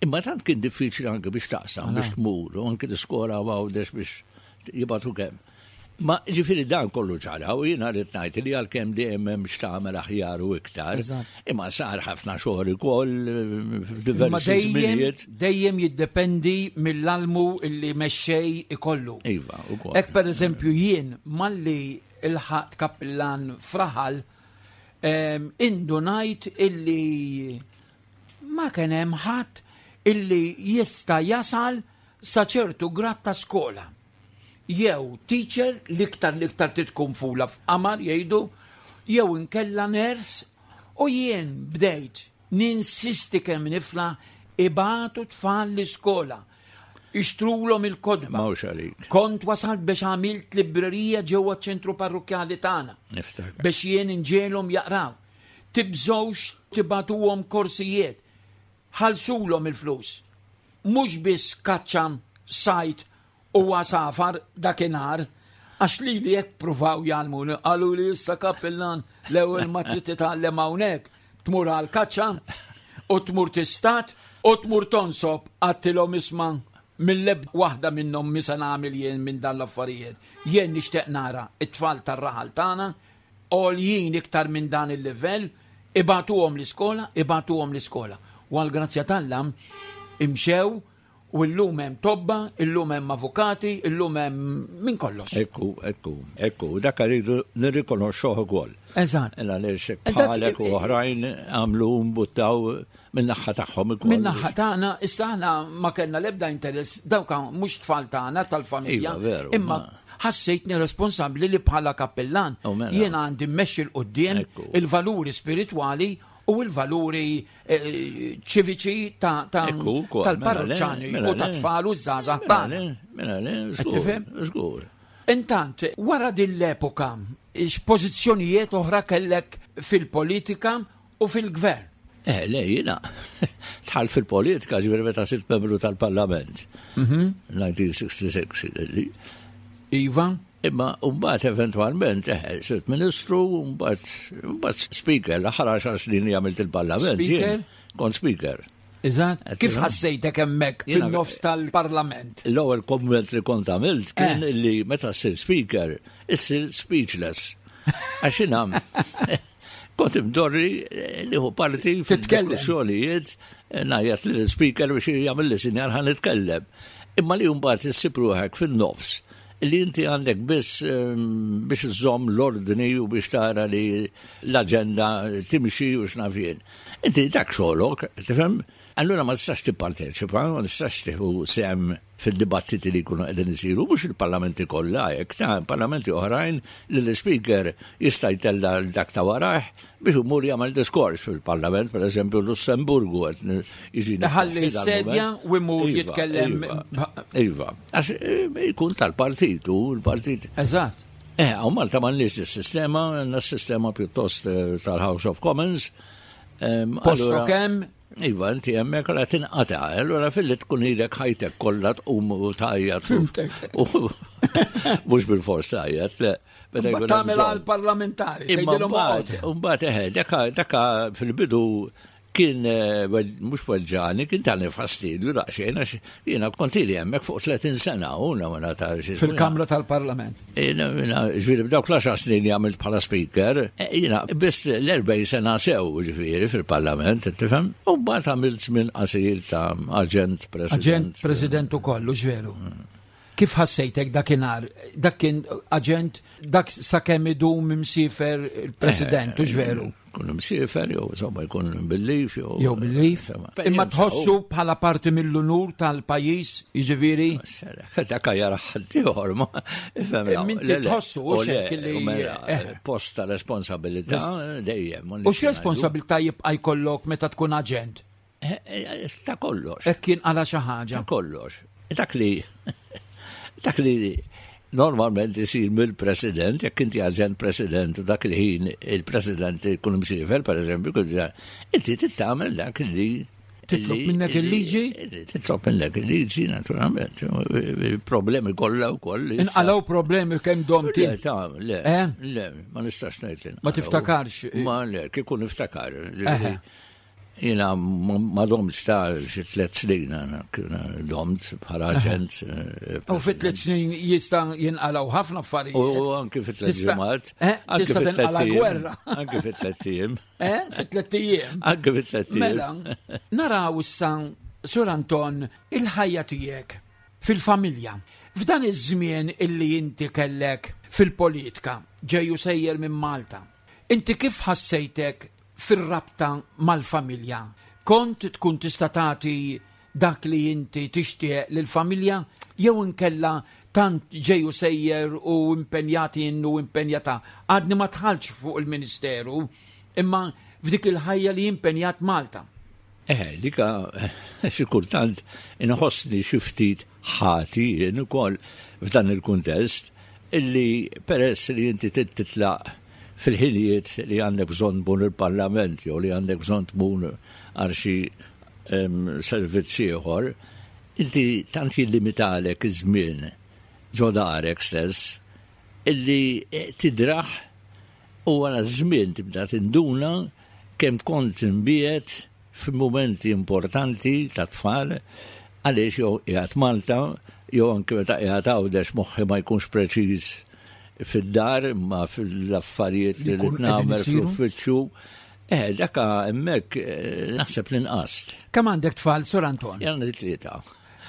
Imma tant kien diffiċli anke biex taqsam, biex tmur, u anke l-iskola għawdex biex jibatu kemm. Ma ġifiri dan kollu ġara u jiena rrid ngħid li għalkemm dejjem hemm x'tagħmel aħjar u iktar, imma sar ħafna xogħol ukoll eh, f'diversi żminijiet. Dejjem jiddependi mill-almu li mexxej ikollu. Iva, ukoll. Hekk pereżempju jien malli ilħaqt kappillan f'raħal indunajt illi ma kien hemm ħadd illi jista' jasal sa ċertu grad ta' skola. Jew teacher l-iktar l-iktar trid tkun fula f'qamar jgħidu, jew inkella nurse u jien bdejt ninsisti kemm nifla ibatu tfal l-iskola. Ixtrulhom il-kotba. Mhux għalik. Kont wasalt biex għamilt librerija ġewwa ċ-ċentru parrukkjali tagħna. Niftakar. Biex jien inġegħelhom jaqraw. Tibżgħux tibagħtuhom korsijiet. Ħallsulhom il-flus. Mhux biss kaċċa, sajd u għasafar dakinhar, għax lili hekk pruvaw jgħallmuni, qaluli issa kappillan l-ewwel ma trid titgħallem hawnhekk tmur għall-kaċċa u tmur tistad u tmur tonsob, għadtilhom isma' mill-ebda waħda minnhom mhi se nagħmel jien minn dan l-affarijiet. Jien nixtieq nara t-tfal tar-raħal tagħna għoljin iktar minn dan il-livell, ibagħtuhom l-iskola, ibagħtuhom l-iskola. U għall-grazzja t'Alla imxew U illum hemm tobba, illum hemm avukati, illum hemm minn kollox. Ekku, ekku, ekku, dak rridu nirrikonoxxuh ukoll. Eżatt. Għaliex bħalek u oħrajn għamlu mbuttaw min-naħa tagħhom ukoll. Min-naħa tagħna, issa aħna ma kellna l-ebda interess, dawk mhux tfal tagħna tal-familja. Iva, veru, imma ħassejtni responsabbli li bħala kappillan Oh, mela. jiena għandi mmexxi 'l quddiem Ekku. il-valuri spiritwali u l-valuri eh, ċiviċi mela tal-parroċċani mela u ta' tfal u żgħażagħ tagħna. Mela le, żgur, żgur. Intant, wara din l-epoka, x'pożizzjonijiet oħra kellek fil-politika u fil-gvern? Eh, le, jina, tħal fil-politika ġveri meta sirt membru tal-parlament. 1966. Mhm. Iva? Imma mbagħad eventwalment eh, sirt ministru, mbagħad mbagħad speaker, l-aħħar għaxar snin li għamilt il-parlament. Speaker? Kont speaker. Eżatt. Kif ħassejtek hemmhekk fin-nofs tal-parlament? L-ewwel komment li kont għamilt kien eh. li meta ssir speaker, issir speechless. Għax jiena kont imdorri eh, nieħu parti fid-diskussjonijiet eh, ngħajjat li l-speaker biex jagħmel li sinjal ħa nitkellem. Imma li mbagħad issib ruħek fin-nofs li inti għandek biss ehm, biex iżżomm l-ordni u biex tara li l-aġenda timxi u x'naf jien. Inti dak xogħlok, tifhem? Allura ma tistax tipparteċipa, ma tistax tieħu sehem fid-dibattiti li jkunu qegħdin isiru, mhux il-parlamenti kollha hekk, ta' parlamenti oħrajn li l-ispeaker jista' jtella' l dak ta' warajh biex imur jagħmel diskors fil-parlament, pereżempju Lussemburgu qed jiġi Iħalli s-sedja u jmur Iva, jitkellem. Iva, iva. Għax eh, jkun tal-partit u l-partit. Eżatt. Eh, hawn Malta m'għandniex is-sistema, għandna s-sistema pjuttost eh, tal-House of Commons. Ehm, Posto allura- kemm Iva, inti hemmhekk għala tinqata', allura filli tkun ilek ħajtek kollha tqum u tgħajjat. Fimtek. Mhux bil-fors tgħajjat, le. Meta jkun hemm Tagħmel bżonn. għal parlamentari. Imma tgħidilhom mbagħad, oqgħod. mbagħad eħe, daka daka fil-bidu Kien eh, mhux weġġani, kien tani fastidju daqsxejn għax jiena kont ili hemmhekk fuq 30 sena u ma nagħta Fil-Kamra tal-Parlament. Jiena ġifieri b'dawk l-10 snin li għamilt bħala speaker, eh, jiena biss l-40 sena sew ġifieri fil-Parlament, tifhem? U mbagħad għamilt żmien qasir ta' aġent president. Aġent president ukoll, veru. Kif ħassejtek dakinhar? Dak kien aġent, dak sakemm idum imsiefer il-President, hux veru? Kun imsiefer jew insomma jkun bil-lif jew. Jew bil-lif. Imma tħossu bħala parti mill-unur tal-pajjiż, jiġifieri? Dak jara ħaddieħor ma. Minti tħossu u xek li. Mela, eh. Post ta' responsabilità dejjem. U x'responsabilità jibqa' jkollok meta tkun aġent? Eh, eh, ta' kollox. Hekk kien għala xi ħaġa. Ta' kollox. Dak li dak li normalment isir mill-president, jekk inti aġent president u dak il-ħin il-president ikun imsiefer, per eżempju, inti tittamel dak li Titlob minnek il-liġi? Titlob minnek il-liġi, naturalment. Problemi kollha wkoll. Inqalgħu problemi kemm dom Le, ta' le, eh? le, ma nistax ngħid Ma tiftakarx. Ma le, kieku niftakar. Jiena ma domtx ta' xi tliet snin domt bħala aġent. Eh, u fit tliet snin jista' jinqalgħu ħafna affarijiet. U anki fit tliet ġimgħat. Eh, anki fit tliet gwerra. Anki fit tliet ijiem. Eh, fit tliet ijiem. Anki fit tliet ijiem. Mela, naraw issa Sur Anton il-ħajja tiegħek fil-familja. F'dan iż-żmien illi inti kellek fil-politika ġejju sejjer minn Malta. Inti kif ħassejtek fir-rabta mal-familja? Kont tkun tista' tagħti dak li inti tixtieq lill-familja jew inkella tant ġej u sejjer u impenjat jien u impenjata? Għadni ma dħaltx fuq il-Ministeru, imma f'dik il-ħajja li impenjat Malta. Eh, dika xi kultant inħossni xi ftit ħati jien ukoll f'dan il-kuntest illi peress li inti titlaq fil-ħinijiet li għandek bżonn tmur il-Parlament jew li għandek bżonn tmur għal xi servizz ieħor, inti tant jillimitalek iż-żmien ġo darek stess illi eh, tidraħ u wara żmien tibda tinduna kemm kont imbiegħed f'mumenti importanti ta' tfal għaliex jew qiegħed Malta jew anke meta qiegħed Għawdex moħħi ma jkunx preċiż fid-dar imma fil-affarijiet li rrid nagħmel fl-uffiċċju. Eh, daka hemmhekk eh, naħseb li nqast. Kemm għandek tfal, Sur Anton? Jien għandi tlieta.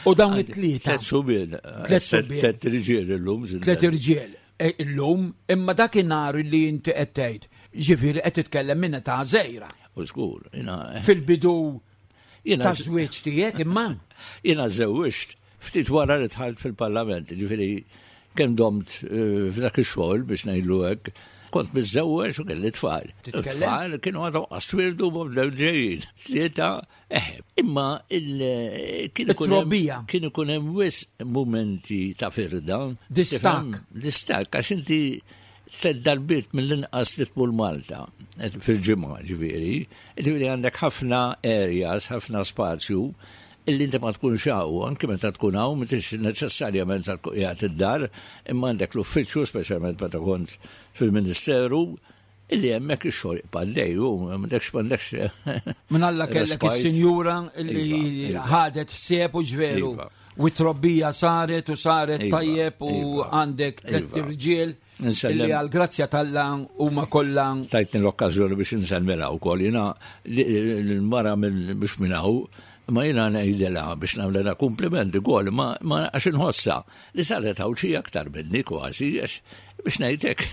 U dawn it-tlieta. Tliet subien. Tliet subien. Tliet irġiel illum. Tliet irġiel. E, illum, imma dakinhar li inti qed tgħid, ġifieri qed titkellem minn età żgħira. U żgur, jiena. Eh. Fil-bidu ta' żwieġ tiegħek imma. Jiena żewwiġt ftit wara li dħalt fil-Parlament, ġifieri kemm domt eh, f'dak ix-xogħol biex ngħidlu hekk, kont miżżewweġ u kelli tfal. Tfal kienu għadhom qaswirdu bdew ġejjin. Tlieta Eh, imma kien ikun hemm kien ikun hemm wisq mumenti ta' firda. Distakk. Distakk għax inti tliet darbiet mill-inqas li tmur Malta eh, fil-ġimgħa ġifieri. Ġifieri għandek ħafna areas, ħafna spazju illi inti ma tkunx hawn, anke meta tkun hawn m'intix neċessarjament sa tkun qiegħed id-dar, imma għandek l-uffiċċju, speċjalment meta kont fil-Ministeru, Illi hemmhekk ix-xogħol jibqa' għaddej u m'għandekx m'għandekx. Minn Alla kellek is-sinjura li iva, iva. ħadet ħsieb u ġveru. Iva. U t-trobbija saret u saret tajjeb u għandek tliet irġiel. Illi għal-grazzja tal-la huma kollha. Tajtni l-okkażjoni biex insellmilha wkoll. Jiena l-mara mhux minn hawn, ma jiena ngħidilha biex nagħmlilha kumpliment ukoll, ma għax inħossha li saret hawn xi aktar minni kważi għax biex ngħidlek.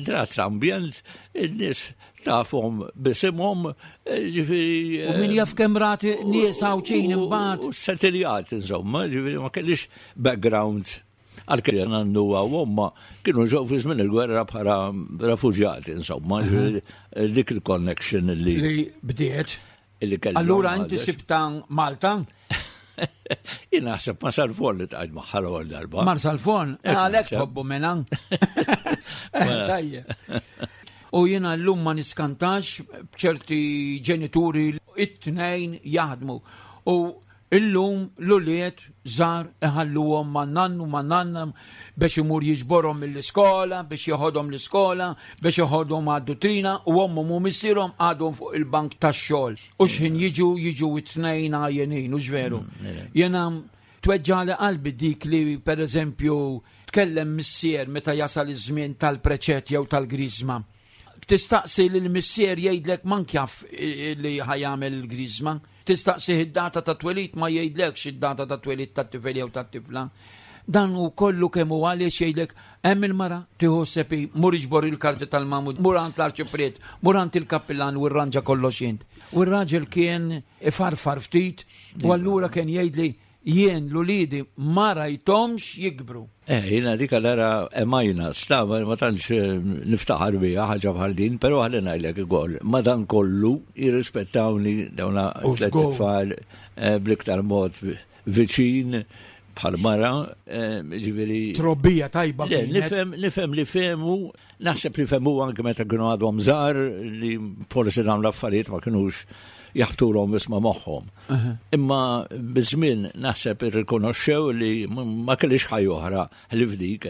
Drat l-ambjent, in-nies tafhom bisimhom, ġifieri. U min jaf kemm rat nies Għawdxin imbagħad. Setiljat insomma, ġifieri ma kellix background għalkemm nannu u omma kienu ġew fi żmien il-gwerra bħala refuġjati insomma, dik il-connection li. Li bdiet. Illi kellu. Allura inti sibta Malta? Jien naħseb ma Salfon li tqajt magħha l-ewwel darba. Mar Salfon, eh, għalhekk tħobbu mela. Tajjeb. U jiena llum ma niskantax b'ċerti ġenituri it-tnejn jaħdmu. U Illum l-ulied żgħar iħalluhom ma' nannu ma' nanna biex imur jiġborhom mill-iskola, biex jeħodhom l-iskola, biex jeħodhom għad-dutrina u ommhom u missierhom għadhom fuq il-bank tax-xogħol. U x'ħin jiġu jiġu t-tnejn għajjenin, hux veru? Jiena tweġġagħli qalbi dik li pereżempju tkellem missier meta jasal iż-żmien tal-preċett jew tal-griżma. Tistaqsi lill-missier jgħidlek mank jaf li ħa jagħmel il-griżma. Tistaqsih id-data ta' twelid ma jgħidlekx id-data ta' twelid tat-tifel jew tat-tifla. Dan hu kollu kemm hu għaliex jgħidlek hemm il-mara tieħu ħsieb hi, mur iġbor il-karti tal-magħmud, mur għand l-arċipriet, mur għand il-kappillan u rranġa kollox int. U r-raġel kien ifarfar ftit u allura kien jgħidli Jien l-uliedi ma rajthomx jikbru. Eh, jiena dik allura emajna, sta, ma tantx eh, niftaħar biha ħaġa bħal din, però ħalli ngħidlek ukoll, madankollu jirrispettawni dawna tliet tfal eh, bl-iktar mod viċin bħal mara, eh, ġifieri. Trobbija tajba. Nifhem nifhem li fehmu, naħseb li fehmu anke meta kienu għadhom żgħar li forsi dawn l-affarijiet ma kinux jaħtulhom isma' moħħhom. Imma biż-żmien naħseb irrikonoxxew li ma kellix ħajja oħra li f'dik.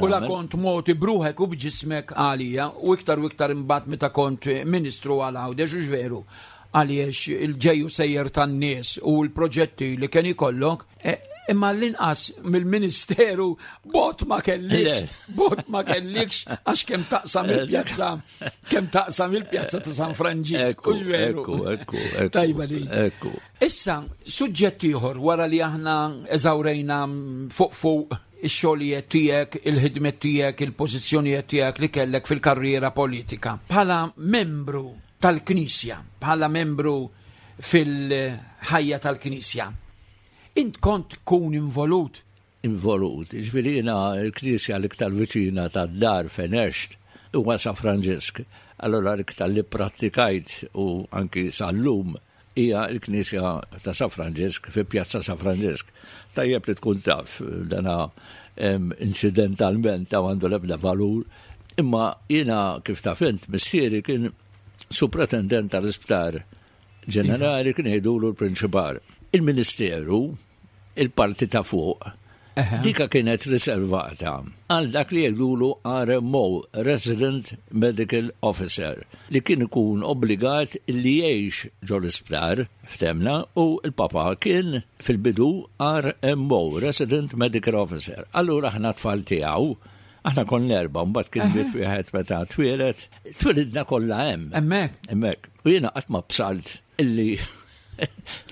U la kont moti bruħek u b'ġismek għalija u iktar u iktar imbagħad meta kont ministru għal Għawdex u veru għaliex il-ġejju sejjer tan-nies u l-proġetti li kien ikollok e, imma l-inqas mill-ministeru bot ma kellikx, bot ma kellikx għax kemm taqsam il-pjazza Kemm taqsam il-pjazza ta' San Franġisk, u veru. Ekku, ekku, ekku. Tajba li. Ekku. Issa, suġġett ieħor wara li aħna eżawrejna fuq fuq ix-xogħlijiet tiegħek, il-ħidmiet tiegħek, il-pożizzjonijiet tiegħek li kellek fil-karriera politika. Bħala membru tal-Knisja, bħala membru fil-ħajja tal-Knisja, int kont tkun involut involut. Jiġifieri jiena l-knisja l-iktar viċina tad-dar fejn għext huwa San Franġisk. Allura l-iktar li pprattikajt u anki sal-lum hija l-knisja ta' San Franġisk fi Pjazza San Franġisk. Tajjeb li tkun taf dana inċidentalment ta' għandu l-ebda valur, imma jiena kif taf int missieri kien supretendent tal-isptar ġenerali kien jgħidulu l-prinċipal. Il-Ministeru il-parti ta' fuq, dika kienet riservata għal dak li jgħidulu RMO, Resident Medical Officer, li kien ikun obbligat li jgħix ġol-isptar, ftemna, u l-papa kien fil-bidu RMO, Resident Medical Officer. Allura aħna tfal tiegħu, aħna konna erba' mbagħad kien miet wieħed meta twieled, twilidna kollha hemm. Hemmhekk. Hemmhekk. U jiena qatt ma bsalt illi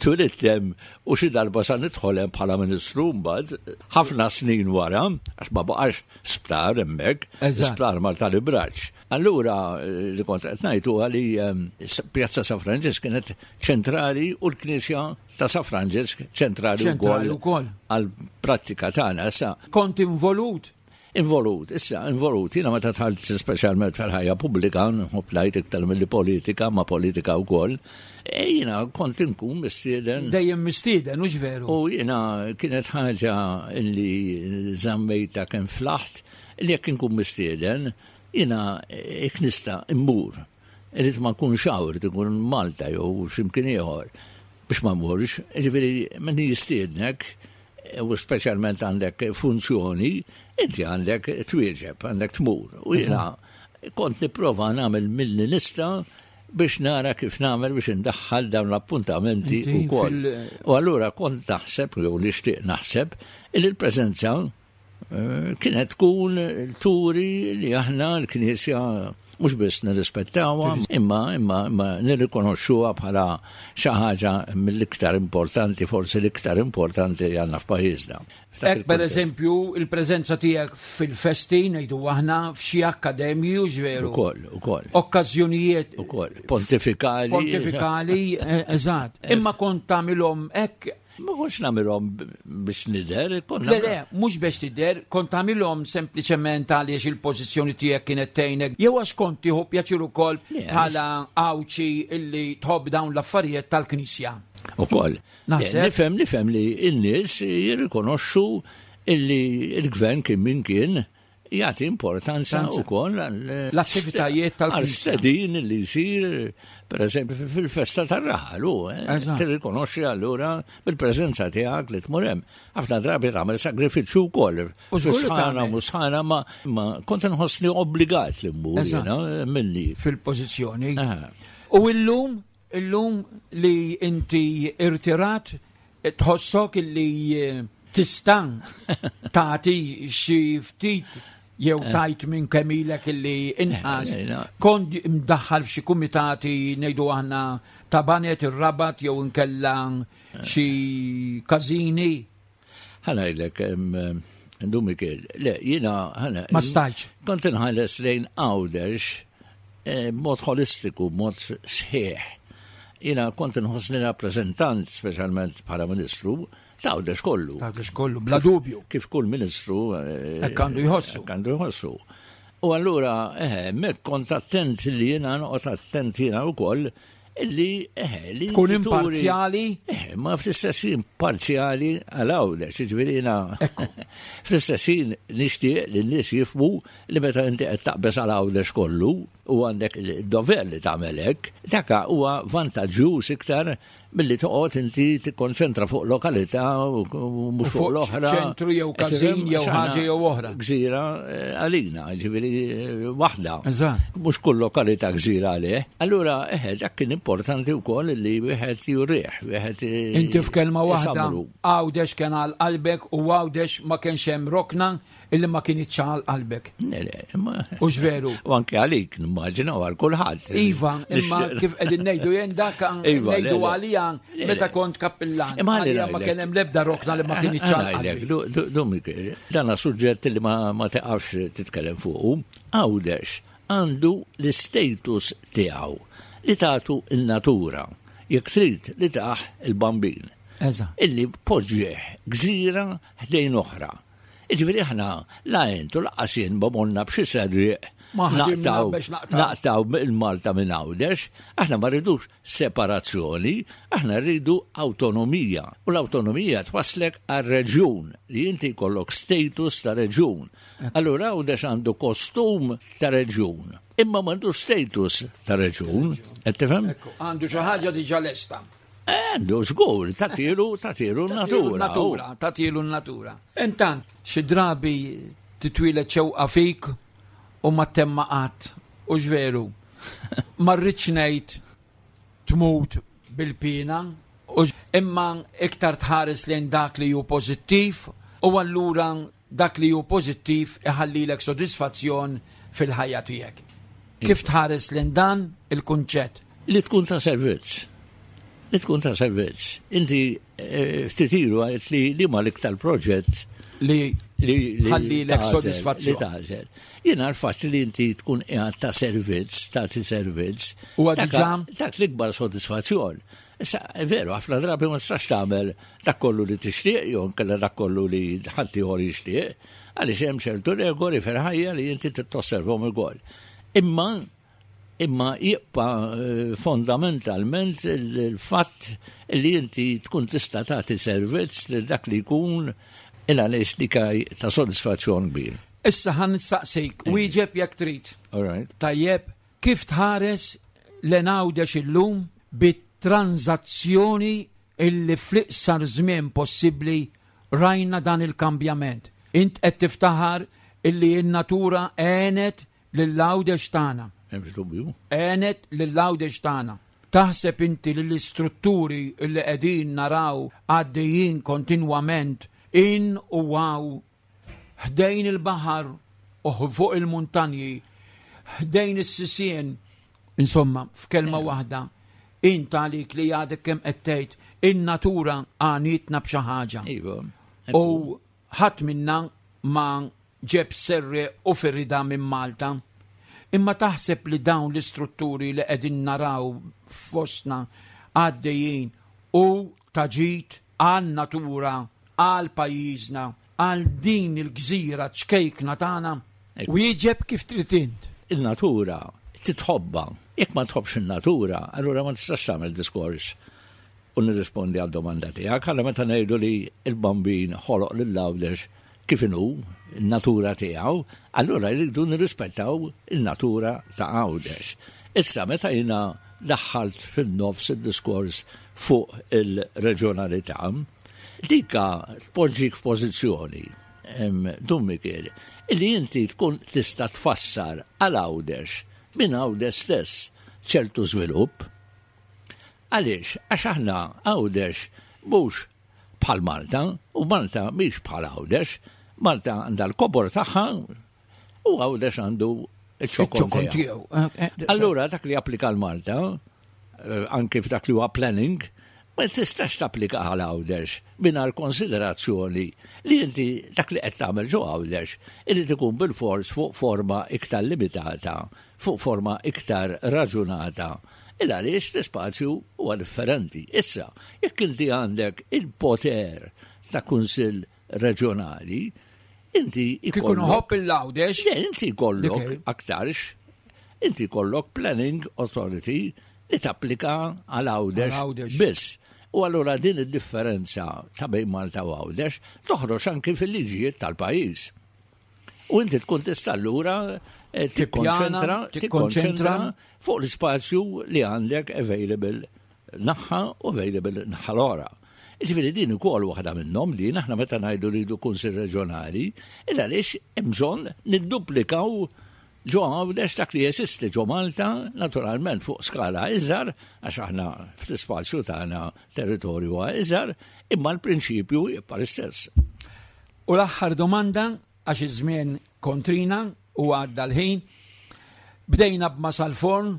Twilidt hemm u xi darba sa nidħol hemm bħala ministru mbagħad ħafna snin wara, għax ma baqax sptar hemmhekk, sptar mal tal-Ibraġ. Allura li kont qed ngħid huwa li ehm, Pjazza San Franġisk kienet ċentrali u l-Knisja ta' San Franġisk ċentrali wkoll għall-prattika tagħna issa. Kont involut Involut, issa, involut. Jiena meta dħalt speċjalment fil-ħajja pubblika, nħobb ngħid iktar milli politika, ma politika wkoll, e jiena kont inkun mistieden. Dejjem mistieden, hux veru? U jiena kienet ħaġa li żammejta kemm flaħt li jekk inkun mistieden, jiena jekk nista' immur. Irrid ma nkunx hawn, irrid inkun Malta jew x'imkien ieħor biex ma mmurx. Ġifieri min jistiednek, u speċjalment għandek funzjoni, inti għandek twieġeb, għandek tmur. U jiena kont nipprova nagħmel milli nista' biex nara kif nagħmel biex indaħħal dawn l-appuntamenti wkoll. U allura kont naħseb jew nixtieq naħseb li l-preżenza eh, kienet tkun turi li aħna l-Knisja mhux biss nirrispettawha, imma imma imma nirrikonoxxuha bħala xi ħaġa mill-iktar importanti, forsi l-iktar importanti li għandna f'pajjiżna. Hekk pereżempju il-preżenza tiegħek fil-festi ngħidu aħna f'xi akkademji u veru. Ukoll, ukoll. Okkażjonijiet. Ukoll, pontifikali. Pontifikali, eh, eżatt. Eh. Imma kont tagħmilhom hekk Ma kontx nagħmilhom biex nidher, kont Le, le, mhux biex tidher, kont tagħmilhom sempliċement għaliex il-pożizzjoni tiegħek kienet tgħinek, jew għax kont tieħu pjaċir ukoll bħala Għawdxi illi tħobb dawn l-affarijiet tal-Knisja. Ukoll. Naħseb. Nifhem, nifhem li n-nies jirrikonoxxu illi l-gvern kien min kien jagħti importanza wkoll l-attivitajiet tal-stedin li jsir Per eżempju, fil-festa tar-raħal, u eh, tirrikonoxxi allura bil-preżenza tiegħek li tmur hemm. Ħafna drabi tagħmel sagrifiċċju wkoll. U sħana mhux sħana ma kont inħossni obbligat li mmur jiena minni. Fil-pożizzjoni. U illum, illum li inti irtirat Tħossok illi tista' tagħti xi ftit jew eh. tajt minn kemm ilek illi inqas. Eh, eh, Kont mdaħħal f'xi kumitati ngħidu aħna ta' banet ir-rabat jew inkella xi każini. Ħanajlek, Dumikel, le, jina, ħana. Ma stajċ. Kont inħares lejn Għawdex eh, b'mod holistiku, b'mod sħiħ. Jina kont inħossni rappreżentant, speċjalment bħala ministru, ta' Għawdex kollu. Ta' Għawdex kollu, bla dubju. Kif kull ministru. Eh, hekk għandu jħossu. Hekk għandu jħossu. U allura, eh, mek kont attent li jena noqgħod attent jena wkoll Illi, eh, li. Tkun imparzjali? Eh, ma fl-istess ħin parzjali għal Għawdex, jiġifieri jiena fl-istess ħin nixtieq li n-nies jifhmu li meta inti qed taqbeż għal Għawdex kollu u għandek id-dover li tagħmel hekk, dak huwa vantaġġjuż iktar milli toqgħod inti tikkonċentra fuq lokalità u mhux fuq l-oħra. Ċentru jew każin jew ħaġa jew oħra. Gżira eh, għalina, ġifieri eh, waħda. Mhux kull lokalità gżira għalih. Allura eħe dak kien importanti wkoll li wieħed jurih, wieħed eh, Inti f'kelma waħda Għawdex kien għal qalbek u Għawdex ma kienx hemm rokna illi ma kinitx għal qalbek. Le, le, imma. Hux veru? U anke għalik, nimmaġina, u għal kulħadd. Iva, imma kif qegħdin ngħidu jien dak iva, ngħidu għalija meta kont kappillan. Imma għalija ma kien hemm l-ebda rokna li ma kinitx għal qalbek. Domik, dan suġġett li ma teqafx titkellem fuqu. Għawdex għandu l-istatus tiegħu li tagħtu n-natura, jekk trid li tah il-bambin. Illi poġġieh gżira ħdejn oħra. Jiġifieri aħna la int u laqqas jien ma morna b'xi serrieq naqtgħu naqtgħu il-Malta minn Għawdex, aħna ma rridux separazzjoni, aħna rridu awtonomija. U l-awtonomija twasslek għal reġjun li inti jkollok status ta' reġjun. Allura Għawdex għandu kostum ta' reġjun, imma m'għandux status ta' reġjun. Qed tifhem? Għandu xi ħaġa diġà lesta. Għandu, żgur, tatilu, tatilu natura. Natura, tatilu natura. Intant, xi drabi titwieled xewqa fik u ma temma qatt, u veru. Ma rridx ngħid tmut bil-pina, u imma iktar tħares lejn dak li hu pożittiv u allura Dak li hu pożittiv iħallilek sodisfazzjon fil-ħajja tiegħek. Kif tħares lejn dan il-kunċett? Li tkun ta' servizz. Li tkun ta' servizz. Inti eh, ftit ilu għedt li li ma l-iktar proġett li ħallilek sodisfazzjon. Li tagħżel. Jiena l-fatt li inti tkun qiegħed ta' servizz, tagħti servizz. Huwa diġà dak l-ikbar sodisfazzjon. Issa, veru, ħafna drabi ma tistax tagħmel dak kollu li tixtieq jew inkella dak kollu li ħadd ieħor jixtieq, għaliex hemm ċertu regoli fil-ħajja li inti trid tosservhom ukoll. Imma imma jibqa' eh, fondamentalment il-fatt li inti tkun tista' tagħti servizz lil dak li jkun il għaliex dik ta' sodisfazzjon kbir. Issa ħan nistaqsik, wieġeb jekk trid. All right. Tajjeb, Kif tħares lejn Għawdex illum bit-tranżazzjoni illi fl-iqsar żmien possibbli rajna dan il-kambjament? Int qed tiftaħar illi n-natura għenet lil Għawdex tagħna. M'hemmx dubju. Għenet lil Għawdex tagħna. Taħseb inti li l-istrutturi illi qegħdin naraw għaddejjin kontinwament in u hawn ħdejn il-baħar u fuq il-muntanji, ħdejn is-sisien, insomma, f'kelma eh. waħda, int għalik li għadek kemm qed tgħid in-natura għanitna b'xi ħaġa. Iva. U ħadd minna ma ġeb serri u firida minn Malta. Imma taħseb li dawn l-istrutturi li qegħdin naraw fostna għaddejjin u taġit għan-natura għal pajjiżna, għal din il-gżira ċkejkna tagħna? Wieġeb kif trid int. Il-natura trid tħobbha. Jekk ma tħobbx in-natura, allura ma tistax tagħmel diskors u nirrispondi għad-domanda tiegħek. Allura meta ngħidu li l-Bambin ħoloq lil Għawdex kif inhu, in-natura tiegħu, allura rridu nirrispettaw in-natura ta' Għawdex. Issa meta jiena daħħalt fin-nofs id-diskors fuq il-reġjonalità. Dika tpoġġik f'pożizzjoni, Dun Mikiel, illi inti tkun tista' tfassar għal Għawdex minn Għawdex stess ċertu żvilupp. Għaliex? Għax aħna Għawdex mhux bħal Malta u Malta mhix bħal Għawdex. Malta għandha l-kobor tagħha u Għawdex għandu iċ-ċokon tiegħu. Eh, eh, Allura dak li applika l-Malta, eh, anki f'dak li huwa planning, ma tistax tapplika għal Għawdex mingħajr konsiderazzjoni li inti dak li qed tagħmel ġo Għawdex irid ikun bil-fors fuq forma iktar limitata, fuq forma iktar raġunata. Il għaliex l-ispazju huwa differenti. Issa, jekk inti għandek il-poter ta' kunsill reġjonali, inti ikollok. Kieku il-Għawdex. Le, inti jkollok aktarx, inti jkollok planning authority li tapplika għal Għawdex biss. U allura din id-differenza ta' bejn Malta u Għawdex toħroġ anki fil-liġijiet tal-pajjiż. U inti tkun tista' allura eh, tikkonċentra tikkonċentra fuq l-ispazju li għandek available naħħa u available naħħa l-ora. Ġifieri din ukoll waħda minnhom din aħna meta ngħidu rridu kunsill reġjonali, il għaliex hemm bżonn nidduplikaw ġo Għawdex dak li jeżisti ġo Malta, naturalment fuq skala iżgħar, għax aħna fl-ispazju tagħna territorju huwa iżgħar, imma l-prinċipju jibqa' l-istess. U l-aħħar domanda, għax iż-żmien kontrina u għadda l-ħin, bdejna b'Masalforn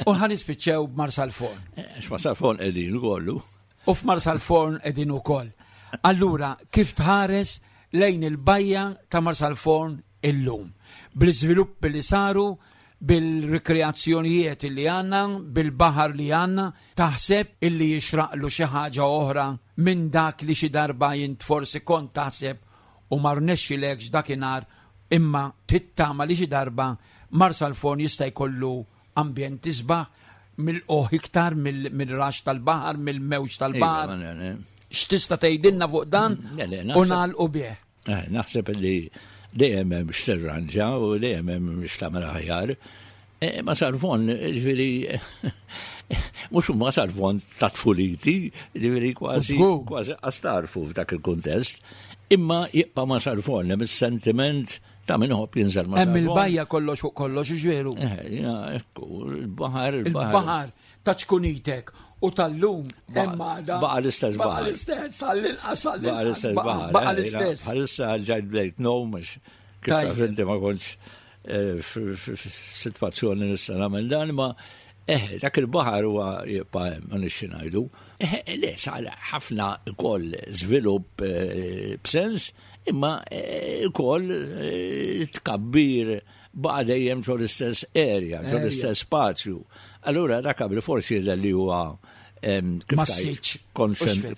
u ħa nispiċċew b'Marsalforn. Eh, għax Marsalforn qegħdin ukollu. U f'Marsalforn qegħdin ukoll. Allura, kif tħares lejn il-bajja ta' Marsalforn illum? Bl-iżviluppi li saru, bil-rikreazzjonijiet li għandna, bil-baħar li għandna, taħseb illi jixraqlu xi ħaġa oħra minn dak li xi darba int forsi kont taħseb u ma rnexxilekx dakinhar imma tittama li xi darba Marsalforn jista' jkollu ambjent isbaħ, milqugħ iktar mill-raxx tal-baħar, mill-mewġ tal-baħar. Iva, X'tista' tgħidilna fuq dan u nagħlqu bih? Eh, naħseb li dejjem hemm x'tirranġa u dejjem hemm x'tagħmel aħjar. Eh, ma sarfon, ġifieri, mhux ma sarfon ta' tfuliti, ġifieri kważi kważi qastarfu f'dak il-kuntest, imma jibqa' ma sarfon hemm is-sentiment ta' min ħobb jinżel ma' Hemm il-bajja kollox fuq kollox, ġveru. Eh, ekku, il-baħar, il-baħar. Il-baħar ta' ċkunitek u tal-lum hemm għada. Baqa l-istess baħar. Baqa l-istess, għall-inqas Baqa l-istess baħar. Baqa eh, l-istess. Bħalissa ġajt bdejt nom, mhux kif taf inti ma kontx eh, f'sitwazzjoni nista' nagħmel dan, ma eh, dak il-baħar huwa jibqa' hemm, ma nixxi ngħidu. Le, sar ħafna ukoll żvilupp b'sens, Imma ukoll eh, tkabbir baqa' dejjem ġo l-istess area, ġo l-istess spazju. Allura dak qabel forsi jidher li huwa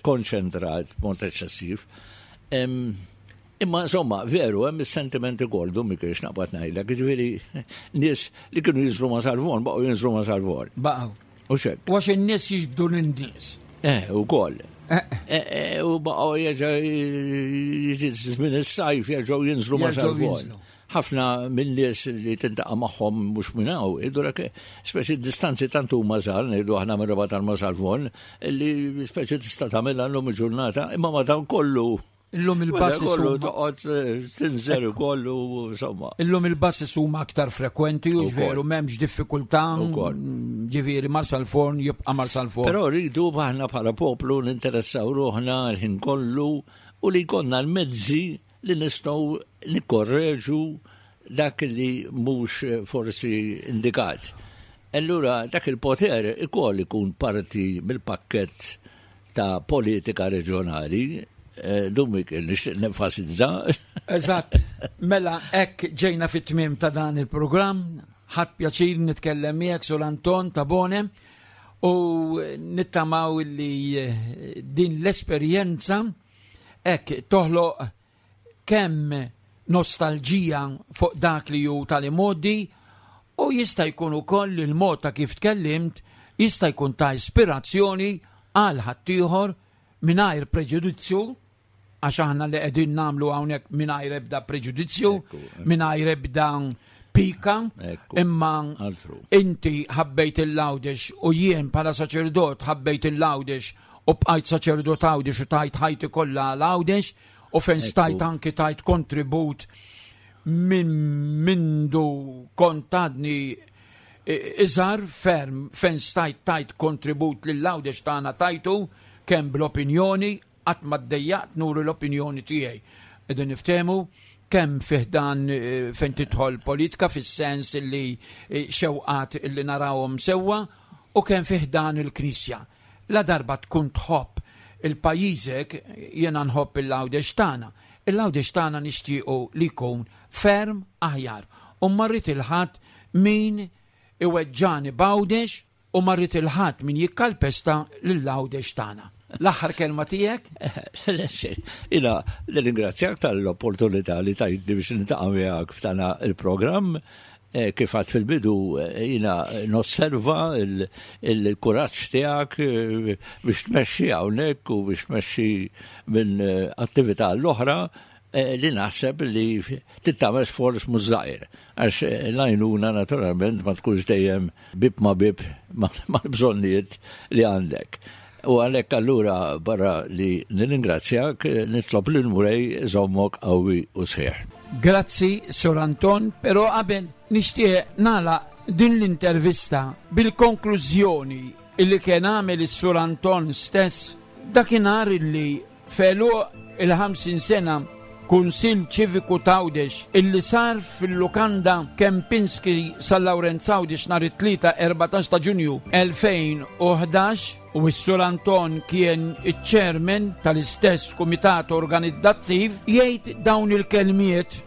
konċentrat b'mod eċċessiv. Imma insomma, veru, hemm is-sentiment ukoll dum kiex naqbad ngħidlek, jiġifieri nies li kienu jinżlu ma' Salvon baqgħu jinżlu ma' Salvon. Baqgħu. U xek. U għax in-nies jiġbdu lin-nies. Eh, ukoll. Eh. eh, eh u baqgħu jerġa' jiġi żmien is-sajf jerġgħu jinżlu ma' Salvon. Ħafna minn nies li tintaqa' magħhom mhux minn hawn, jgħidulek speċi distanzi tant huma żgħar ngħidu aħna minn Rabat għal Salvon, li speċi tista' tagħmilha llum il-ġurnata, imma ma dan kollu Illum il-basses kollu toqgħod eh, tinżel ukoll u insomma. Illum il-basses huma aktar frekwenti u veru m'hemmx diffikultà. Mm, ġifieri Marsalforn jibqa' Marsalforn. Però rridu aħna bħala poplu ninteressaw ruħna l-ħin kollu u li jkollna l-mezzi li nistgħu nikkorreġu dak li mhux forsi indikat. Allura dak il-poter ikoll ikun parti mill-pakkett ta' politika reġjonali, eh, dun Mikiel, nixtieq nenfasizza. Eżatt, mela hekk ġejna fit-tmiem ta' dan il-programm, ħadd pjaċir nitkellem miegħek Sur Anton Tabone u nittamaw li eh, din l-esperjenza hekk toħloq kemm nostalġija fuq dak li hu tal-imgħoddi u jista' jkun ukoll li l-mod ta' kif tkellimt jista' jkun ta' ispirazzjoni għal ħaddieħor mingħajr preġudizzju għax aħna li qegħdin nagħmlu hawnhekk mingħajr ebda preġudizzju, mingħajr ebda pika, imma inti ħabbejt il-Għawdex u jien bħala saċerdot ħabbejt il-Għawdex u bqajt saċerdot Għawdex u tajt ħajti kollha għal Għawdex u fejn stajt anki tajt kontribut minn mindu kont għadni iżgħar ferm fejn stajt tajt kontribut lil Għawdex tagħna tajtu kemm bl-opinjoni Qatt ma ddejjaqt nuri l-opinjoni tiegħi. Qegħdin niftehmu kemm fih dan eh, fejn tidħol politika fis-sens li eh, xewqat li narawhom sewwa u kemm fih dan il-Knisja. La darba tkun tħobb il-pajjiżek jiena nħobb il-Għawdex tagħna. Il-Għawdex tagħna nixtiequ li jkun ferm aħjar. U ma rrid il-ħadd min iweġġani b'Għawdex U ma rrid 'il ħadd min jikkalpesta lil Għawdex tagħna. L-aħħar kelma tiegħek? Jiena nirringrazzjak tal-opportunità li tajtni biex niltaqa' miegħek f'dana il-programm. Eh, kif għad fil-bidu eh, jiena nosserva il-kuraġġ tiegħek eh, biex tmexxi hawnhekk u biex tmexxi minn attività l-oħra li naħseb li tittamel sforz mhux żgħir għax l-għajnuna naturalment ma tkunx dejjem bib ma bib mal-bżonnijiet li għandek. U għalhekk allura barra li nirringrazzjak nitlob lil Mulej iżommok qawwi u sħiħ. Grazzi Sur Anton, però qabel nixtieq nagħlaq din l-intervista bil-konklużjoni illi kien għamel is-Sur Anton stess dakinhar illi F'għeluq il-50 sena Kunsill Ċiviku t'Għawdex illi sar fil-Lukanda Kempinski San Lawrenz Għawdex nhar it-Tlieta 14 ta' Ġunju 2011 u s-Sur Anton kien iċ-Chairman tal-istess Kumitat Organizzattiv jgħid dawn il-kelmiet.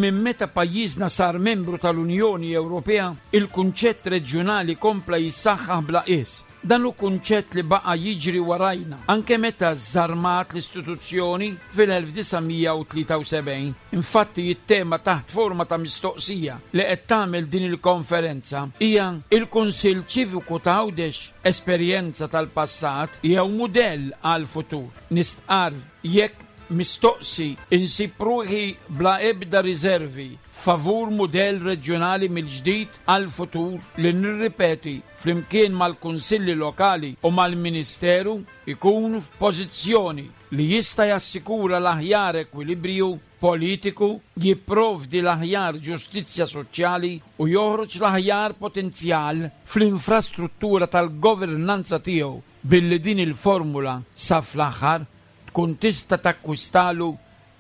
Minn meta pajjiżna sar membru tal-Unjoni Ewropea, il-kunċett reġjunali kompla jissaħħaħ bla qies. Dan hu kunċett li baqa' jiġri warajna anke meta żarmat l-istituzzjoni fil-1973. Infatti it-tema taħt forma ta' mistoqsija li qed tagħmel din il-konferenza hija Il-Kunsill Ċiviku ta' Għawdex, esperjenza tal-passat jew mudell għall-futur? Nistqarr jekk Mistoqsi, insib ruħi bla ebda riżervi favur mudell reġjonali mill-ġdid għall-futur li nirripeti flimkien mal-Kunsilli Lokali u mal-Ministeru jkun f'pożizzjoni li jista' jassikura l-aħjar ekwilibriju politiku, jipprovdi l-aħjar ġustizzja soċjali u joħroġ l-aħjar potenzjal fl-infrastruttura tal-governanza tiegħu billi din il-formula sa fl-aħħar tkun tista' takkwistalu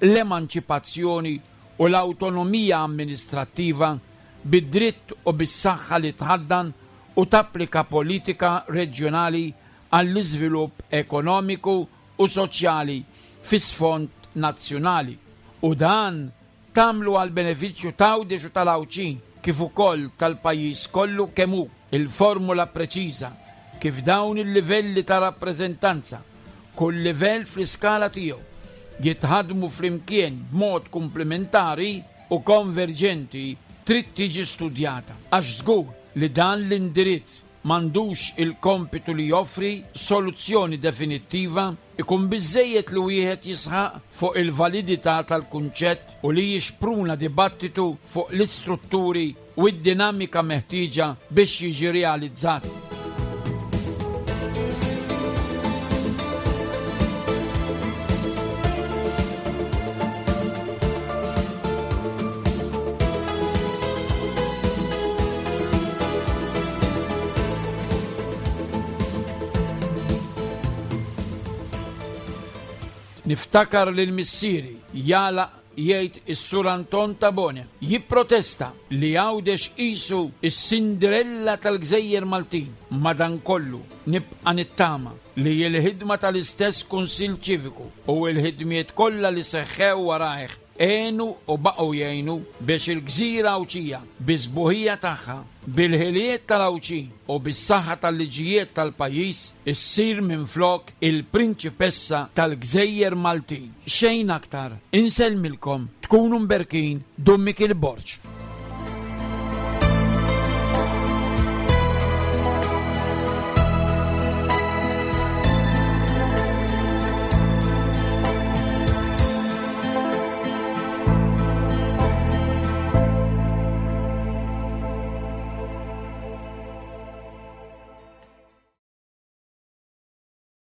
l-emanċipazzjoni u l-awtonomija amministrattiva bid-dritt u bis-saħħa li tħaddan u tapplika politika reġjonali għall-iżvilupp ekonomiku u soċjali fi sfond nazzjonali. U dan tagħmlu għall-benefiċċju t'Għawdex u tal-Għawdxin kif ukoll tal-pajjiż kollu kemm hu. Il-formula preċiża kif dawn il-livelli ta' rappreżentanza, kull livell fl-iskala tiegħu, jitħaddmu flimkien b'mod kumplimentari u konverġenti trid tiġi studjata għax żgur li dan l-indirizz m'għandux il-kompitu li joffri soluzzjoni definittiva, ikun biżżejjed li wieħed jisħaq fuq il-validità tal-kunċett u li jixpruna dibattitu fuq l-istrutturi u d-dinamika meħtieġa biex jiġi realizzat. Niftakar lil missieri, jagħlaq jgħid is-Sur Anton Tabone, jipprotesta li Għawdex qisu s-Cinderella tal-gżejjer Maltin. Madankollu, nibqa' nittama li l-ħidma tal-istess Kunsill Ċiviku u l-ħidmiet kollha li seħħew warajh. għenu u baqgħu jgħinu biex il-gżira Għawdxija, bis-sbuħija tagħha, bil-ħiliet tal-Għawdxin u bis-saħħa tal-liġijiet tal-pajjiż, issir minflok il-prinċipessa tal-gżejjer Maltin. Xejn aktar. Insellmilkom, tkunu mberkin, Dun Mikiel Borg.